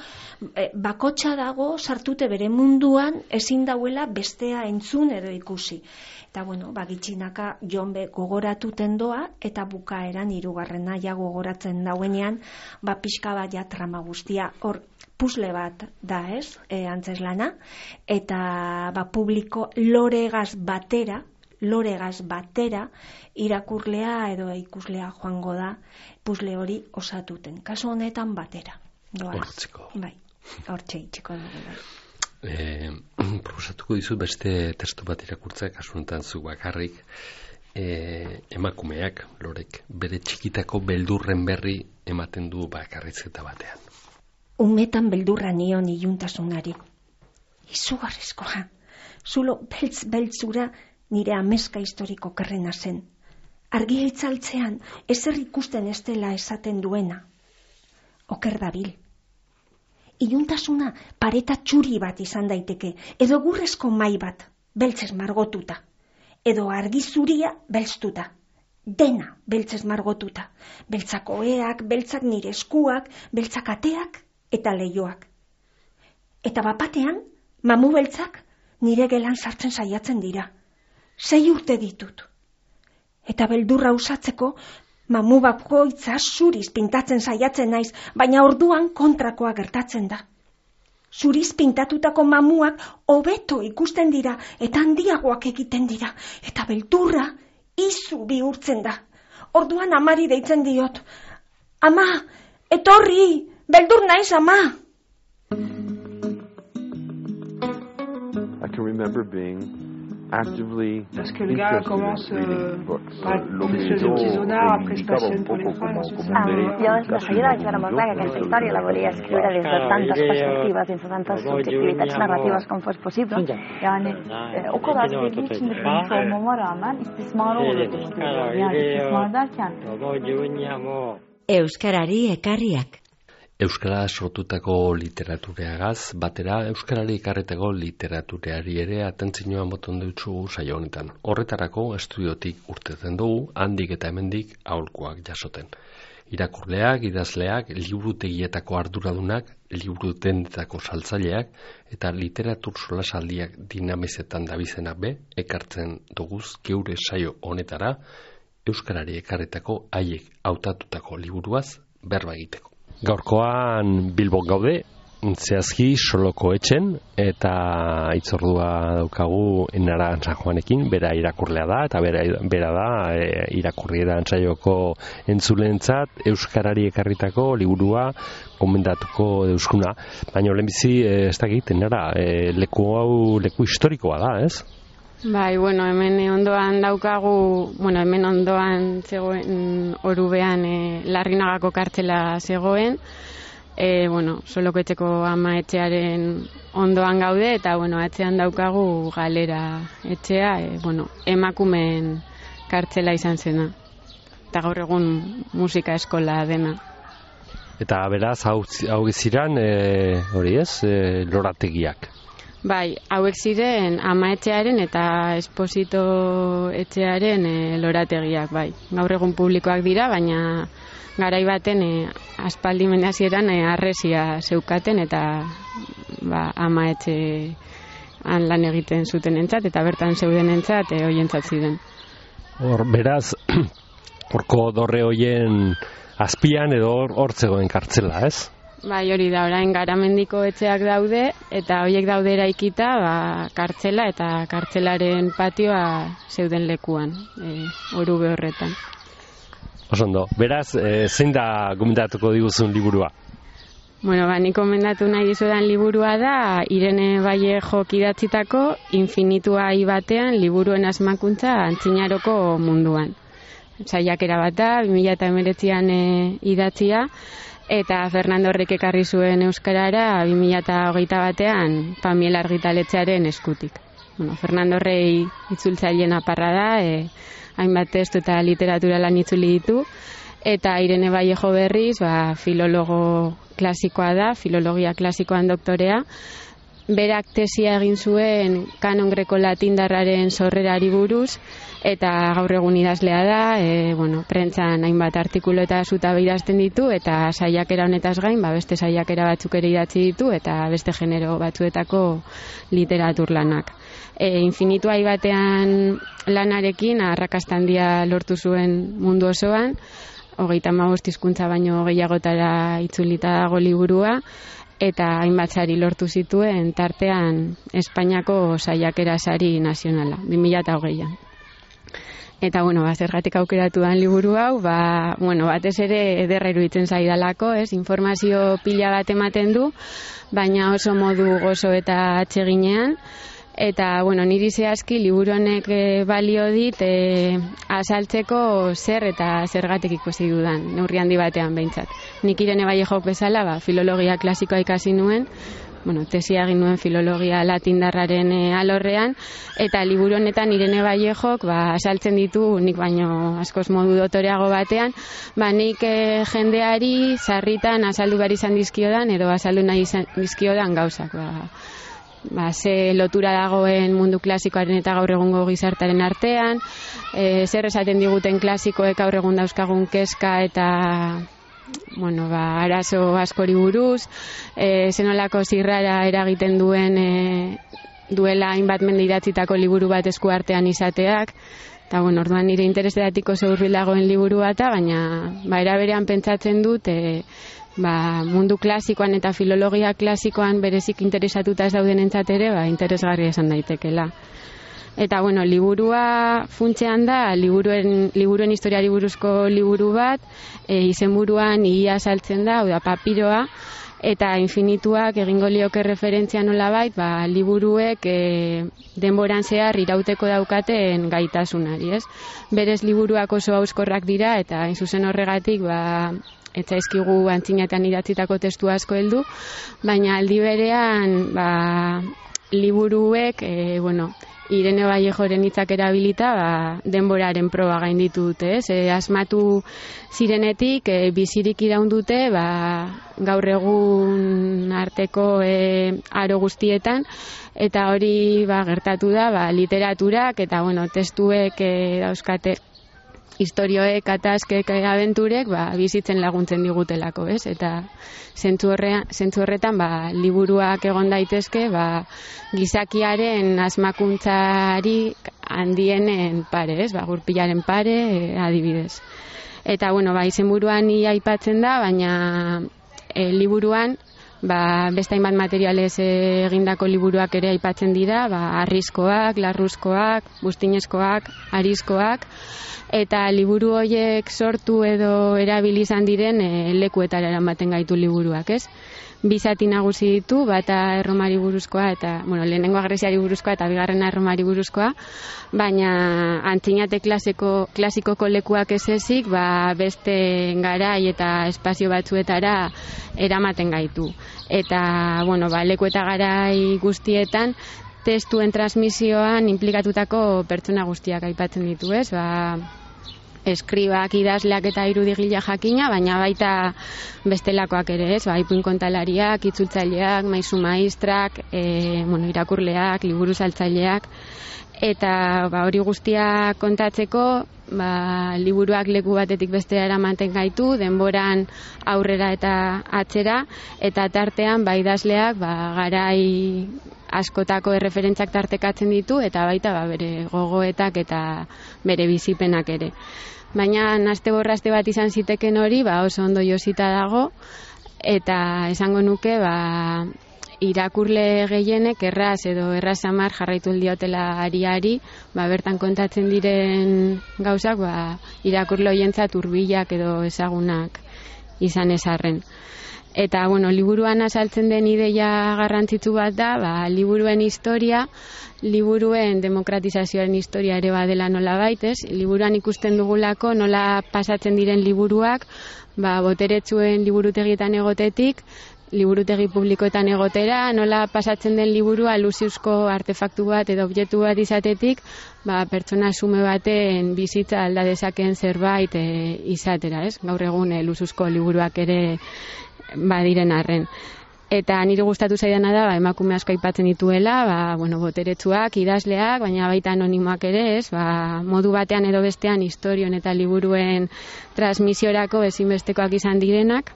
e, bakotxa dago, sartute bere munduan, ezin dauela bestea entzun edo ikusi. Eta bueno, bagitxinaka Jon be gogoratuten doa, eta bukaeran hirugarrena ja gogoratzen dauenean, ba pixka bat ja trama guztia, hor pusle bat da, ez, e, antzeslana, eta ba publiko loregaz batera, loregaz batera, irakurlea edo ikuslea joango da, pusle hori osatuten. Kasu honetan batera. Hortzeko. Bai, hortxe itxiko dugu. Bai. E, proposatuko dizut beste testu bat irakurtzea, kasu honetan zu bakarrik, e, emakumeak, Lorek, bere txikitako beldurren berri ematen du bakarrizketa batean. Umetan beldurra nion iluntasunari. Izugarrizkoa. Zulo beltz-beltzura nire ameska historiko kerrena zen. Argia itzaltzean ezer ikusten ez dela esaten duena. Oker dabil. Iluntasuna pareta txuri bat izan daiteke, edo gurrezko mai bat, beltzez margotuta, edo argi zuria belztuta. Dena beltzez margotuta. Beltzak oheak, beltzak nire eskuak, beltzak ateak eta leioak. Eta bapatean, mamu beltzak nire gelan sartzen saiatzen dira. Sei urte ditut. Eta beldurra usatzeko Mamu bakoitza zuriz pintatzen saiatzen naiz, baina orduan kontrakoa gertatzen da. Zuriz pintatutako mamuak hobeto ikusten dira eta handiagoak egiten dira, eta beldurra izu bihurtzen da. Orduan amari deitzen diot. Ama, etorri, beldur naiz, ama! I can remember being actively Parce que le gars commence euh, par se de petits honneurs, après se passionne pour les femmes. Llavors la seguida vaig veure molt clar que aquesta història la volia escriure des de tantes perspectives, des de tantes subjektivitats narratives com fos possible. Yani e, o kadar sevdiği için de bilmiş olmama rağmen istismar olduğunu düşünüyorum. Yani istismar derken Euskarari ekarriak. Euskara sortutako literaturagaz, batera Euskarari ekarretako literatureari ere atentzioa moton dutzu saio honetan. Horretarako estudiotik urtetzen dugu, handik eta hemendik aholkuak jasoten. Irakurleak, idazleak, liburutegietako arduradunak, liburutendetako saltzaileak eta literatur solasaldiak dinamizetan dabizenak be, ekartzen duguz geure saio honetara, Euskarari ekarretako haiek hautatutako liburuaz berba egiteko. Gaurkoan Bilbon gaude, zehazki Soloko etxen, eta itzordua daukagu Enara San Juanekin, bera irakurlea da, eta bera, bera da e, irakurri da antzaioko entzulentzat Euskarari ekarritako liburua gomendatuko deuskuna. Baina lehenbizi, e, ez dakit, Enara, e, leku hau leku historikoa da, ez? Bai, bueno, hemen ondoan daukagu, bueno, hemen ondoan zegoen Orubean e, Larrinagako kartzela zegoen, e, bueno, Soloko etxeko ama etxearen ondoan gaude, eta, bueno, atzean daukagu Galera etxea, e, bueno, emakumeen kartzela izan zena, eta gaur egun musika eskola dena. Eta beraz, hau, hau ziren, e, hori ez, e, lorategiak. Bai, hauek ziren ama etxearen eta Esposito etxearen e, lorategiak, bai. Gaur egun publikoak dira, baina garai baten e, aspaldi mendazieran e, arresia zeukaten eta ba, ama etxean lan egiten zuten entzat, eta bertan zeuden entzat, e, hoientzat ziren. Hor, beraz, horko dorre hoien azpian edo hor zegoen kartzela, ez? Bai, hori da, orain Garamendiko etxeak daude, eta horiek daude eraikita, ba, kartzela eta kartzelaren patioa zeuden lekuan, e, Orube horretan. Osondo, beraz, e, zein da gomendatuko diguzun liburua? Bueno, ba, nik gomendatu nahi dizudan liburua da, Irene Vallejok idatzitako Infinitua hi batean liburuen asmakuntza Antzinaroko munduan. Saiakera bat da, bi mila hemeretzian e, idatzia, eta Fernando Horrek ekarri zuen euskarara bi mila hogeita batean Pamiela argitaletxearen eskutik. Bueno, Fernando Horrei itzultzaileen aparra da, e, hainbat testu eta literatura lan itzuli ditu, eta Irene Vallejo berriz, ba, filologo klasikoa da, filologia klasikoan doktorea, berak tesia egin zuen kanon greko-latindarraren sorrerari buruz, eta gaur egun idazlea da, e, bueno, prentsan hainbat artikulu eta zutabe idazten ditu, eta saiakera honetaz gain, ba, beste saiakera batzuk ere idatzi ditu, eta beste genero batzuetako literatur lanak. E, Infinitua hi batean lanarekin arrakasta handia lortu zuen mundu osoan, hogeita hamabost hizkuntza baino gehiagotara itzulita dago liburua, eta hainbat sari lortu zituen tartean Espainiako saiakera sari nazionala, bi mila hogeian. Eta, bueno, ba, zergatik aukeratu dan liburu hau, ba, bueno, batez ere ederra iruditzen zaidalako, ez, informazio pila bat ematen du, baina oso modu gozo eta atseginean, eta, bueno, niri zehazki liburu honek e, balio dit e, azaltzeko zer eta zergatik ikusi dudan, neurri handi batean behintzat. Nik Irene Vallejok bezala, ba, filologia klasikoa ikasi nuen, bueno, tesia egin nuen filologia latindarraren e, alorrean, eta liburu honetan Irene Vallejok ba, asaltzen ditu, nik baino askoz modu dotoreago batean, ba, nik e, jendeari sarritan azaldu behar izan dizkiodan, edo azaldu nahi izan dizkiodan gauzak. Ba, ba, ze lotura dagoen mundu klasikoaren eta gaur egungo gizartaren artean, e, zer esaten diguten klasikoek gaur egun dauzkagun kezka eta bueno, ba, arazo askori buruz, e, zenolako zirrara eragiten duen e, duela hainbat mende idatzitako liburu bat esku artean izateak, Eta, bueno, orduan nire interesetatik oso hurbilagoen liburu bata, baina ba, era berean pentsatzen dut e, ba, mundu klasikoan eta filologia klasikoan berezik interesatuta ez dauden entzat ere, ba, interesgarria esan daitekela. Eta, bueno, liburua funtsean da, liburuen, liburuen historiari buruzko liburu bat, e, izenburuan ia saltzen da, hau da, papiroa, eta infinituak egingo lioke referentzia nolabait, ba, liburuek e, denboran zehar irauteko daukaten gaitasunari, ez? Berez liburuak oso hauskorrak dira, eta hain zuzen horregatik, ba, etzaizkigu antzinatean idatzitako testu asko heldu, baina aldi berean, ba, liburuek, e, bueno, Irene Vallejoren hitzak erabilita, ba, denboraren proba gainditu dute, ez? E, asmatu zirenetik, e, bizirik iraun dute, ba, gaur egun arteko e, aro guztietan, eta hori ba, gertatu da, ba, literaturak, eta bueno, testuek e, dauzkate istorioek, ataskek, abenturek, ba, bizitzen laguntzen digutelako, ez? Eta zentzu horrean, zentzu horretan, ba, liburuak egon daitezke, ba, gizakiaren asmakuntzari handienen pare, ez? Ba, gurpilaren pare, e, adibidez. Eta, bueno, ba, izenburuan ia aipatzen da, baina e, liburuan, ba, beste hainbat materialez egindako liburuak ere aipatzen dira, ba, arriskoak, larruzkoak, buztinezkoak, arizkoak, eta liburu horiek sortu edo erabili izan diren e, lekuetara eramaten gaitu liburuak, ez? Bi zati nagusi ditu, bata Erromari buruzkoa eta, bueno, lehenengo Greziari buruzkoa eta bigarrena Erromari buruzkoa, baina antzinate klasiko, klasikoko lekuak ez ezik, ba, beste garai eta espazio batzuetara eramaten gaitu. Eta, bueno, ba, leku eta garai guztietan, testuen transmisioan implikatutako pertsona guztiak aipatzen ditu, ez? Ba, eskribak, idazleak eta irudigila jakina, baina baita bestelakoak ere, ez? Ba, ipuin kontalariak, itzultzaileak, maisu maistrak, e, bueno, irakurleak, liburu saltzaileak, eta ba, hori guztia kontatzeko, ba, liburuak leku batetik bestera eramaten gaitu, denboran aurrera eta atzera, eta tartean ba, idazleak ba, garai askotako erreferentzak tartekatzen ditu, eta baita ba, bere gogoetak eta bere bizipenak ere. Baina naste borraste bat izan ziteken hori, ba, oso ondo josita dago, eta esango nuke, ba, irakurle gehienek erraz edo erraz samar jarraitu diotela ariari, ba, bertan kontatzen diren gauzak, ba, irakurle hoientzat hurbilak edo ezagunak izan ezarren. Eta, bueno, liburuan azaltzen den ideia garrantzitsu bat da, ba, liburuen historia, liburuen demokratizazioaren historia ere badela nola baitez, liburuan ikusten dugulako nola pasatzen diren liburuak, ba, boteretsuen liburutegietan egotetik, liburutegi publikoetan egotera, nola pasatzen den liburua luziuzko artefaktu bat edo objektu bat izatetik, ba, pertsona sume baten bizitza alda dezakeen zerbait e, izatera, ez? Gaur egun e, luziuzko liburuak ere badiren arren. Eta nire gustatu zaidana da, ba, emakume asko aipatzen dituela, ba, bueno, boteretsuak, idazleak, baina baita anonimoak ere, ez? Ba, modu batean edo bestean historion eta liburuen transmisiorako ezinbestekoak izan direnak.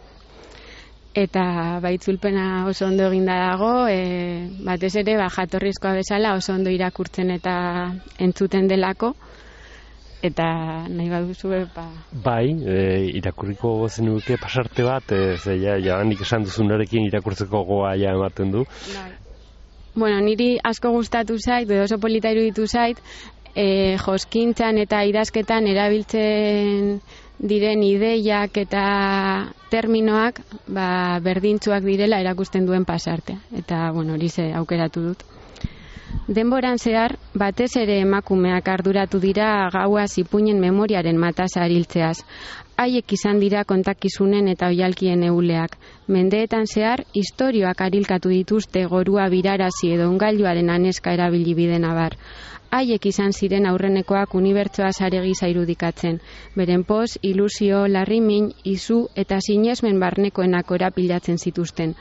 Eta baitzulpena oso ondo eginda dago, e, batez ere ba, jatorrizkoa bezala oso ondo irakurtzen eta entzuten delako, eta nahi baduzu ba... Bai, e, irakurriko zenuke pasarte bat, e, ze ja, ja nik esan duzunarekin irakurtzeko goa ja ematen du. Bai. Bueno, niri asko gustatu zait, edo oso polita iruditu zait, e, joskintzan eta idazketan erabiltzen diren ideiak eta terminoak ba, berdintzuak direla erakusten duen pasartea. Eta, bueno, hori ze aukeratu dut. Denboran zehar, batez ere emakumeak arduratu dira gaua ipuinen memoriaren matasa ariltzeaz. Haiek izan dira kontakizunen eta oihalkien euleak. Mendeetan zehar, istorioak arilkatu dituzte gorua birarazi edo ongailuaren aneska erabili biden abar. Haiek izan ziren aurrenekoak unibertsoa sare gisa irudikatzen. Beren poz, ilusio, larrimin, izu eta sinesmen barnekoenak orapilatzen zituzten.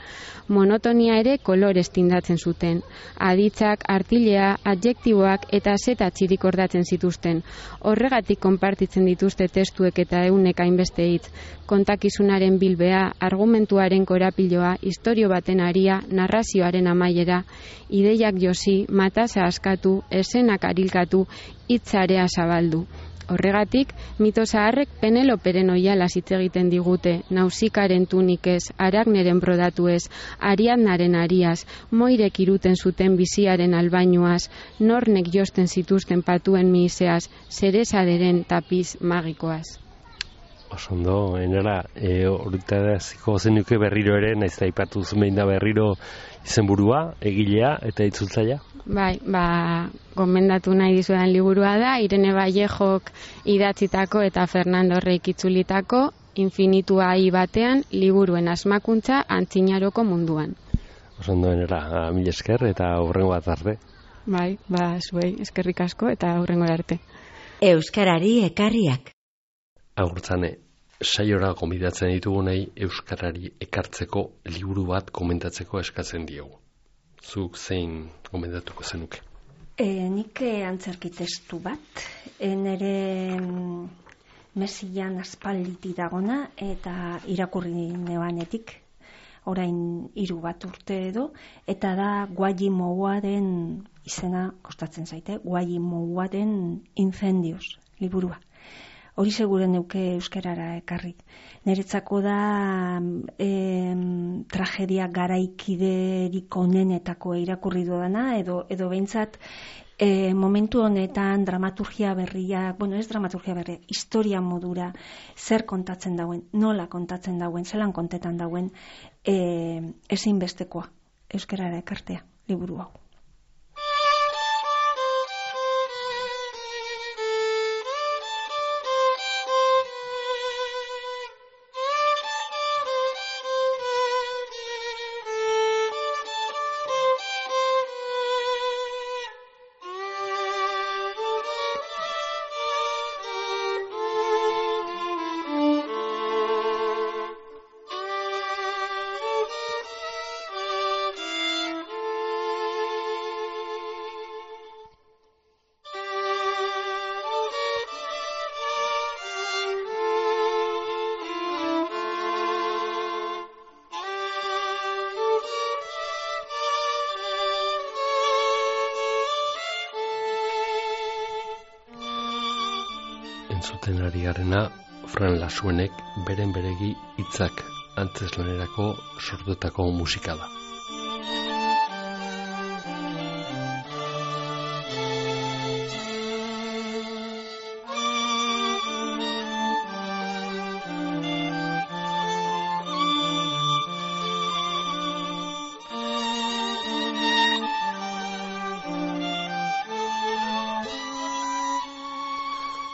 Monotonia ere kolorez tindatzen zuten. Aditzak, artilea, adjektiboak eta zeta txirikordatzen zituzten. Horregatik konpartitzen dituzte testuek eta eunek hainbeste hitz. Kontakizunaren bilbea, argumentuaren korapiloa, istorio baten aria, narrazioaren amaiera, ideiak josi, matasa askatu, esena gizonak arilkatu, hitzarea zabaldu. Horregatik, mito zaharrek Peneloperen oihalaz hitz egiten digute, Nausikaren tunikez, Aragneren brodatuez, Ariadnaren ariaz, Moirek iruten zuten biziaren albainuaz, Nornek josten zituzten patuen mihiseaz, Zeresaderen tapiz magikoaz. Osondo, enera, e, horretaziko zenuke berriro ere, naiz da ipatu zumein da berriro izenburua, egilea eta itzultzaia? Bai, ba, gomendatu nahi dizudan liburua da, Irene Vallejok idatzitako eta Fernando Reik itzulitako Infinitua ai batean liburuen asmakuntza antzinaroko munduan. Osondo, enera, mil esker eta hurrengo bat arte. Bai, ba, zuei, eskerrik asko eta hurrengo arte. Euskarari ekarriak. Agurtzane, saiora gomidatzen ditugunei euskarari ekartzeko liburu bat komentatzeko eskatzen diogu. Zuk zein gomendatuko zenuke? E, nik antzerki testu bat, e, nire mesian aspalditi dagona eta irakurri nebanetik, orain hiru bat urte edo, eta da Guajimoaren izena kostatzen zaite, Guajimoaren Incendios liburua. Hori seguren neuke euskarara ekarri. Niretzako da em, tragedia garaikiderik onenetako irakurri dudana, edo, edo behintzat e, momentu honetan dramaturgia berria, bueno ez dramaturgia berria, historia modura, zer kontatzen dauen, nola kontatzen dauen, zelan kontetan dauen, e, ezinbestekoa euskarara ekartea, liburu hau. Entzuten ari garena, Fran Lasuenek beren beregi hitzak antzeslanerako sortutako musika da.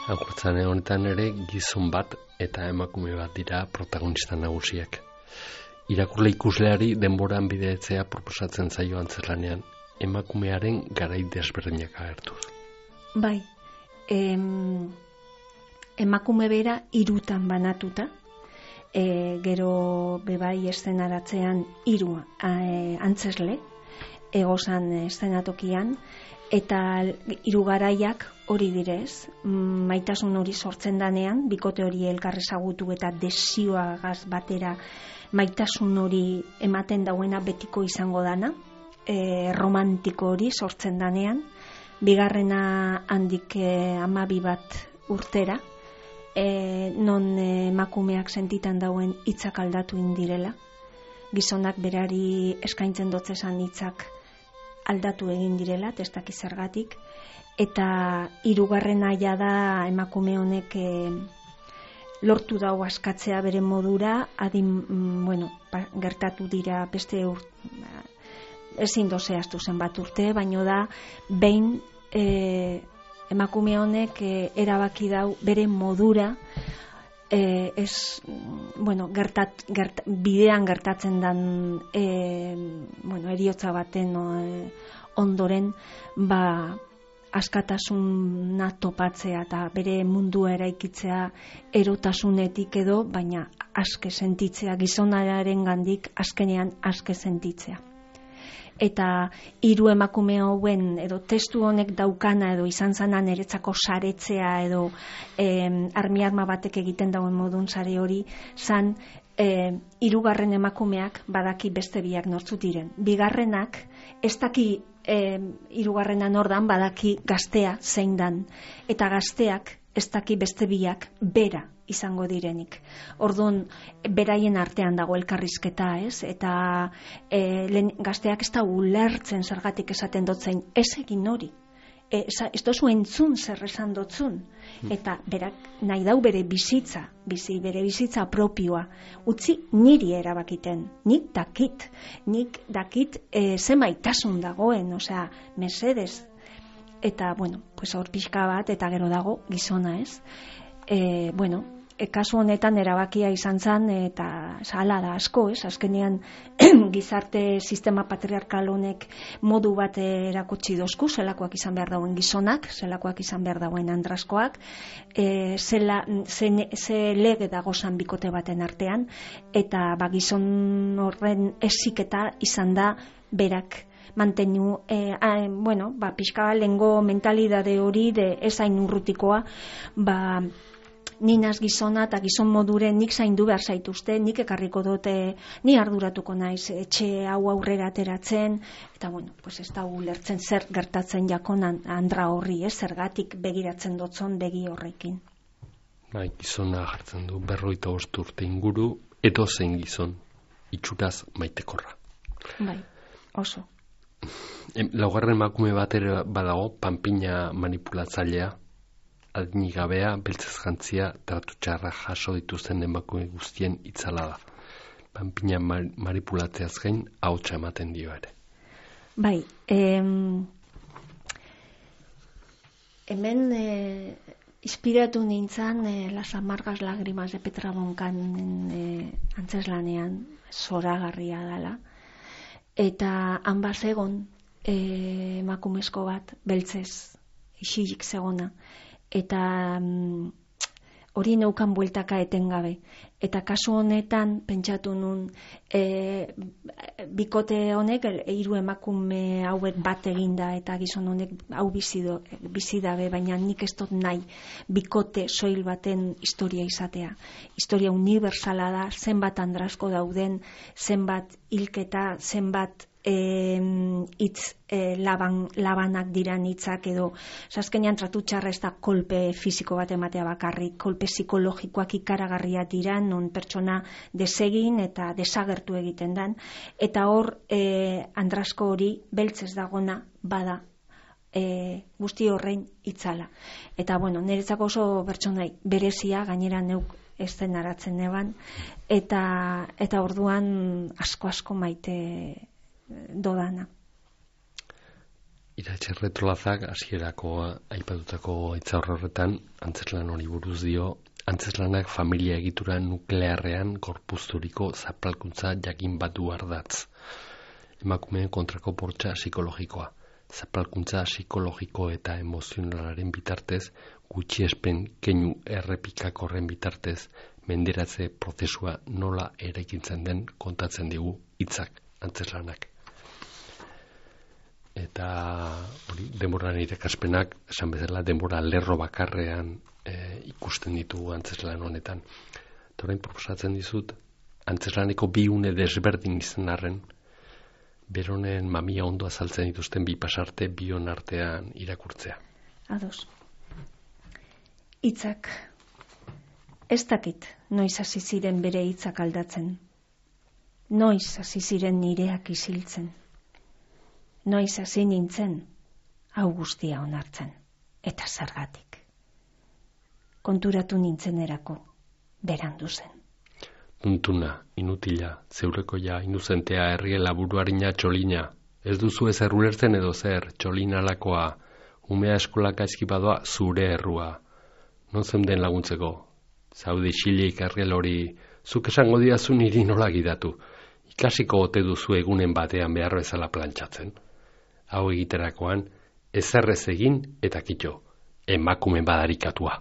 Agurtzane honetan ere gizon bat eta emakume bat dira protagonista nagusiak. Irakurle ikusleari denboran bideetzea proposatzen zaio antzerlanean, emakumearen garai desberdinak agertuz. Bai, em, emakume bera hirutan banatuta, e, gero bebai eszenaratzean hiru e, antzesle, egozan eszenatokian, eta hiru garaiak hori direz, maitasun hori sortzen danean, bikote hori elkar ezagutu eta desioagaz batera maitasun hori ematen dauena betiko izango dana, e, romantiko hori sortzen danean, bigarrena handik e, amabi bat urtera, e, non e, emakumeak sentitan dauen hitzak aldatu indirela, gizonak berari eskaintzen dotzezan hitzak aldatu egin direla, testak izergatik, eta hirugarren aia da emakume honek e, lortu dau askatzea bere modura, adin, mm, bueno, pa, gertatu dira beste ur, ezin dozehaztu zenbat urte, baino da behin e, emakume honek e, erabaki dau bere modura, E, ez, bueno, gertat, gert, bidean gertatzen dan e, bueno, eriotza baten o, e, ondoren ba, askatasuna topatzea eta bere mundua eraikitzea erotasunetik edo, baina aske sentitzea, gizonaren gandik azkenean aske sentitzea. eta hiru emakume hauen edo testu honek daukana edo izan zana niretzako saretzea edo eh, armi-arma batek egiten dauen modun sare hori zan eh, hirugarren emakumeak badaki beste biak nortzut diren. Bigarrenak ez daki eh, hirugarrena nordan badaki gaztea zein dan eta gazteak ez daki beste biak bera izango direnik. Orduan, beraien artean dago elkarrizketa, ez? Eta e, lehen, gazteak ez da ulertzen zergatik esaten dotzen, ez egin hori. E, ez dozu entzun zer esan dotzun. Eta berak nahi dau bere bizitza, bizi, bere bizitza propioa. Utzi niri erabakiten, nik dakit, nik dakit e, ze maitasun dagoen, osea, mesedez. Eta, bueno, pues hor pixka bat, eta gero dago gizona, ez? E, bueno, e, kasu honetan erabakia izan zen, eta hala da asko, ez? Azkenean gizarte sistema patriarkal honek modu bat erakutsi dozku, zelakoak izan behar dauen gizonak, zelakoak izan behar dauen andraskoak, e, zela, ze, ze lege dagozan bikote baten artean, eta ba, gizon horren eziketa izan da berak mantenu, eh, eh, bueno, ba, pixka lengo mentalidade hori de ezain urrutikoa, ba, ninaz gizona eta gizon moduren nik zaindu behar zaituzte, nik ekarriko dute, ni arduratuko naiz etxe hau aurrera ateratzen, eta bueno, pues ez da ulertzen zer gertatzen jakonan andra horri, ez, zergatik begiratzen dotzon begi horrekin. Bai, gizona jartzen du berroita bost urte inguru, edo zein gizon, itxuraz maitekorra. Bai, oso. Laugarren emakume bat ere badago, panpina manipulatzailea, adinigabea, beltzez jantzia, tratu txarra jaso dituzten emakume guztien itzala da. Panpina manipulatzeaz gain, ahotsa ematen dio ere. Bai, em, hemen eh, inspiratu nintzen eh, Las amargas lágrimas de Petra Bonkan eh, antzeslanean, zoragarria dela. Eta han bazegon e, emakumezko bat beltzez isilik zegona eta mm, hori neukan bueltaka etengabe eta kasu honetan pentsatu nun e, bikote honek hiru emakume hauek bat eginda eta gizon honek hau bizido, bizidabe, baina nik ez dut nahi bikote soil baten historia izatea. Historia universala da, zenbat andrasko dauden, zenbat hilketa, zenbat hitz e, laban, labanak diran hitzak edo azkenean tratu txarra ez da kolpe fisiko bat ematea bakarrik, kolpe psikologikoak ikaragarria diran, non pertsona desegin eta desagertu egiten dan, eta hor e, andrasko hori beltzez dagona bada e, guzti horrein itzala. Eta bueno, niretzako oso pertsonai berezia, gainera neuk ez den aratzen neban, eta, eta orduan asko-asko maite dodana. Iratxe Retolazak hasierako aipatutako hitzaurre horretan antzeslan hori buruz dio, antzeslanak familia egitura nuklearrean gorpuzturiko zapalkuntza jakin bat du ardatz. Emakumeen kontrako bortxa psikologikoa. Zapalkuntza psikologiko eta emozionalaren bitartez, gutxiespen keinu errepikakorren bitartez, menderatze prozesua nola eraikitzen den kontatzen digu hitzak antzeslanak. Eta hori, denboran irakaspenak, esan bezala, denbora lerro bakarrean e, ikusten ditugu antzeslan honetan. Eta orain proposatzen dizut, antzeslaneko bi une desberdin izan arren, beronen mamia ondo azaltzen dituzten bi pasarte bion artean irakurtzea. Ados. Hitzak. Ez dakit noiz hasi ziren bere hitzak aldatzen. Noiz hasi ziren nireak isiltzen. Noiz hasi nintzen, hau guztia onartzen, eta zergatik. Konturatu nintzenerako, berandu zen. Tuntuna, inutila, zeurekoia, inuzentea, herriela buruarina txolina. Ez duzu ezer ulertzen edo zer, txolina lakoa, umea eskolaka eskipadoa zure errua. Non zeunden laguntzeko, zaude xilik erriel hori, zuk esango didazu niri nola gidatu. Ikasiko ote duzu egunen batean behar bezala plantxatzen. Hau egiterakoan, ezerrez egin eta kitxo, emakume badarikatua.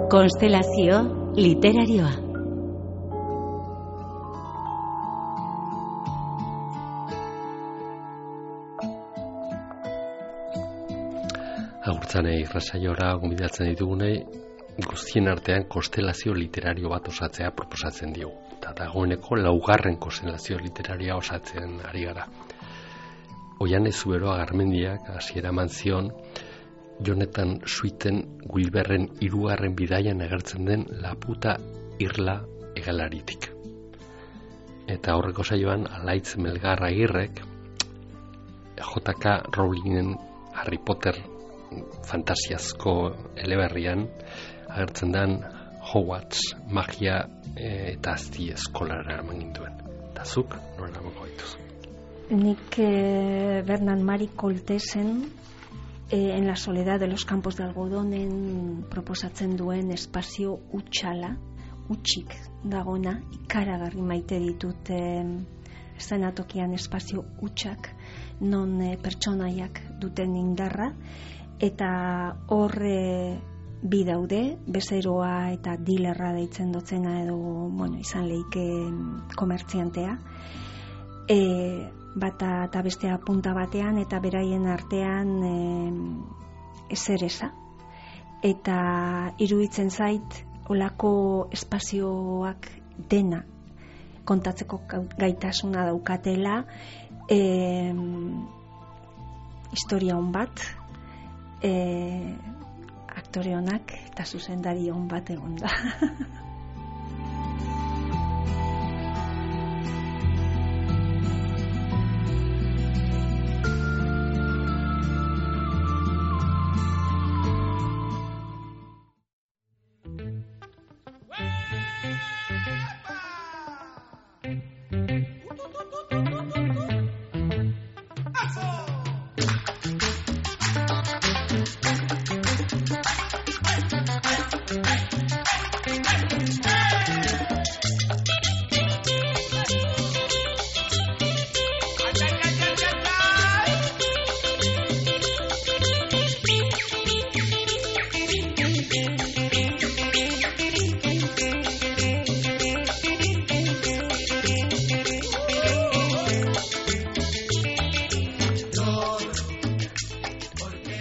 Konstelazio literarioa. Agurtzanei irratsaiora gonbidatzen ditugunei guztien artean konstelazio literario bat osatzea proposatzen diogu. Eta dagoeneko laugarren konstelazio literaria osatzen ari gara. Oiane Zuberoa Garmendiak hasiera eman zion Jonathan Sweeten Wilberren hirugarren bidaian agertzen den Laputa Irla hegalaritik. Eta horreko saioan Alaitz Melgar Agirrek J K Rowlingen Harry Potter fantasiazko eleberrian agertzen den Hogwarts magia e, eta azti eskolara eman ginduen. Eta zuk, nola boko gaituz? Nik eh, Bernard Marie Coltesen eh, en la soledad de los campos de algodonen proposatzen duen espazio utxala, utxik dagona, ikaragarri maite ditut eh, eszenatokian espazio utxak, non eh, pertsonaiak duten indarra, eta horre bi daude, bezeroa eta dilerra deitzen dotzena edo, bueno, izan leike komertziantea, e, bata eta bestea punta batean eta beraien artean e, ezereza. Eta iruditzen zait, olako espazioak dena kontatzeko gaitasuna daukatela, e, historia hon bat, E, aktore honak eta zuzendari hon bat egon da.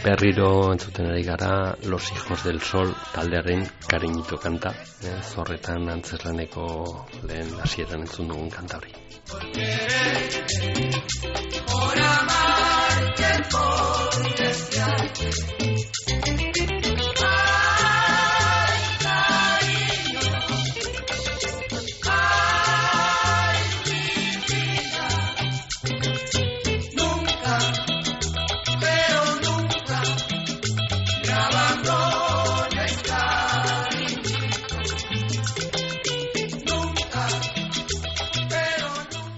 Berriro entzuten ari gara Los Hijos del Sol taldearen Cariñito kanta, eh, zorretan antzeslaneko lehen hasieran entzun dugun kanta hori. Por amarte, por desearte.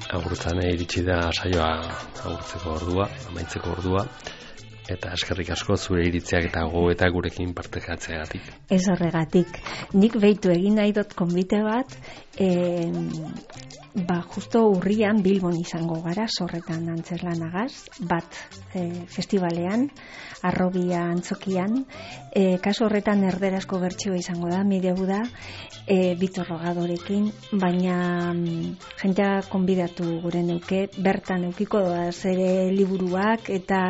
Agurtzan iritsi da saioa agurtzeko ordua, amaitzeko ordua, eta eskerrik asko zure iritziak eta gogoetak gurekin partekatzeagatik. Ez horregatik. Nik behitu egin nahi dut konbite bat, e, ba, justo urrian Bilbon izango gara, zorretan antzeslanagaz, bat e, festivalean, Arrobia antzokian, e, kasu horretan erderazko bertsioa izango da, mireu da, e, Bitor Rogadorekin, baina mm, jentea konbidatu gure neuke, bertan eukiko da zere liburuak eta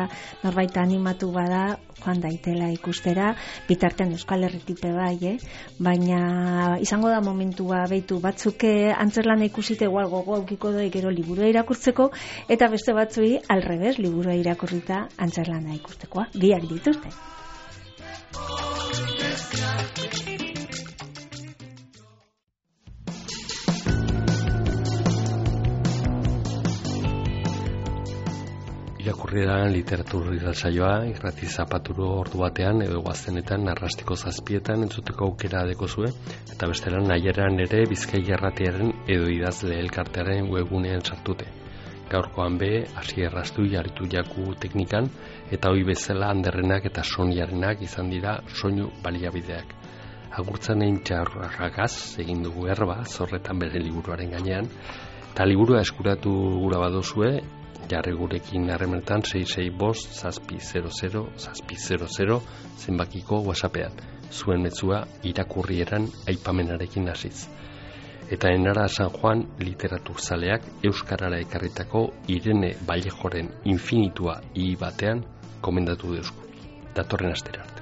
norbait animatu bada joan daitela ikustera, bitartean Euskal Herritipe bai, eh? Baina izango da momentua behitu batzuk antzerlana ikusite igual gogo aukiko doa gero liburua irakurtzeko, eta beste batzui alrebez liburua irakurrita antzerlana ikustekoa, biak dituzte. Irakurrieran literatur irratsaioa irrati zapaturo ordu batean edo guaztenetan arrastiko zazpietan entzuteko aukera dekozue, eta bestelan nahieran ere Bizkai Irratiaren edo idazle elkartearen webgunean sartute. Gaurkoan be, hasi erraztu jaritu jaku teknikan, eta hoi bezala Anderrenak eta Soniarenak izan dira soinu baliabideak. Agurtzanen txarragaz egin dugu erba, zorretan bere liburuaren gainean, eta liburua eskuratu gura badozue, jarri gurekin harremenetan sei sei bost zazpi zero zero zazpi zero zero zenbakiko whatsappean. Zuen metzua irakurrieran aipamenarekin hasiz. Eta Enara San Juan literaturzaleak euskarara ekarritako Irene Vallejoren infinitua i batean komendatu deusku. datorren astera arte.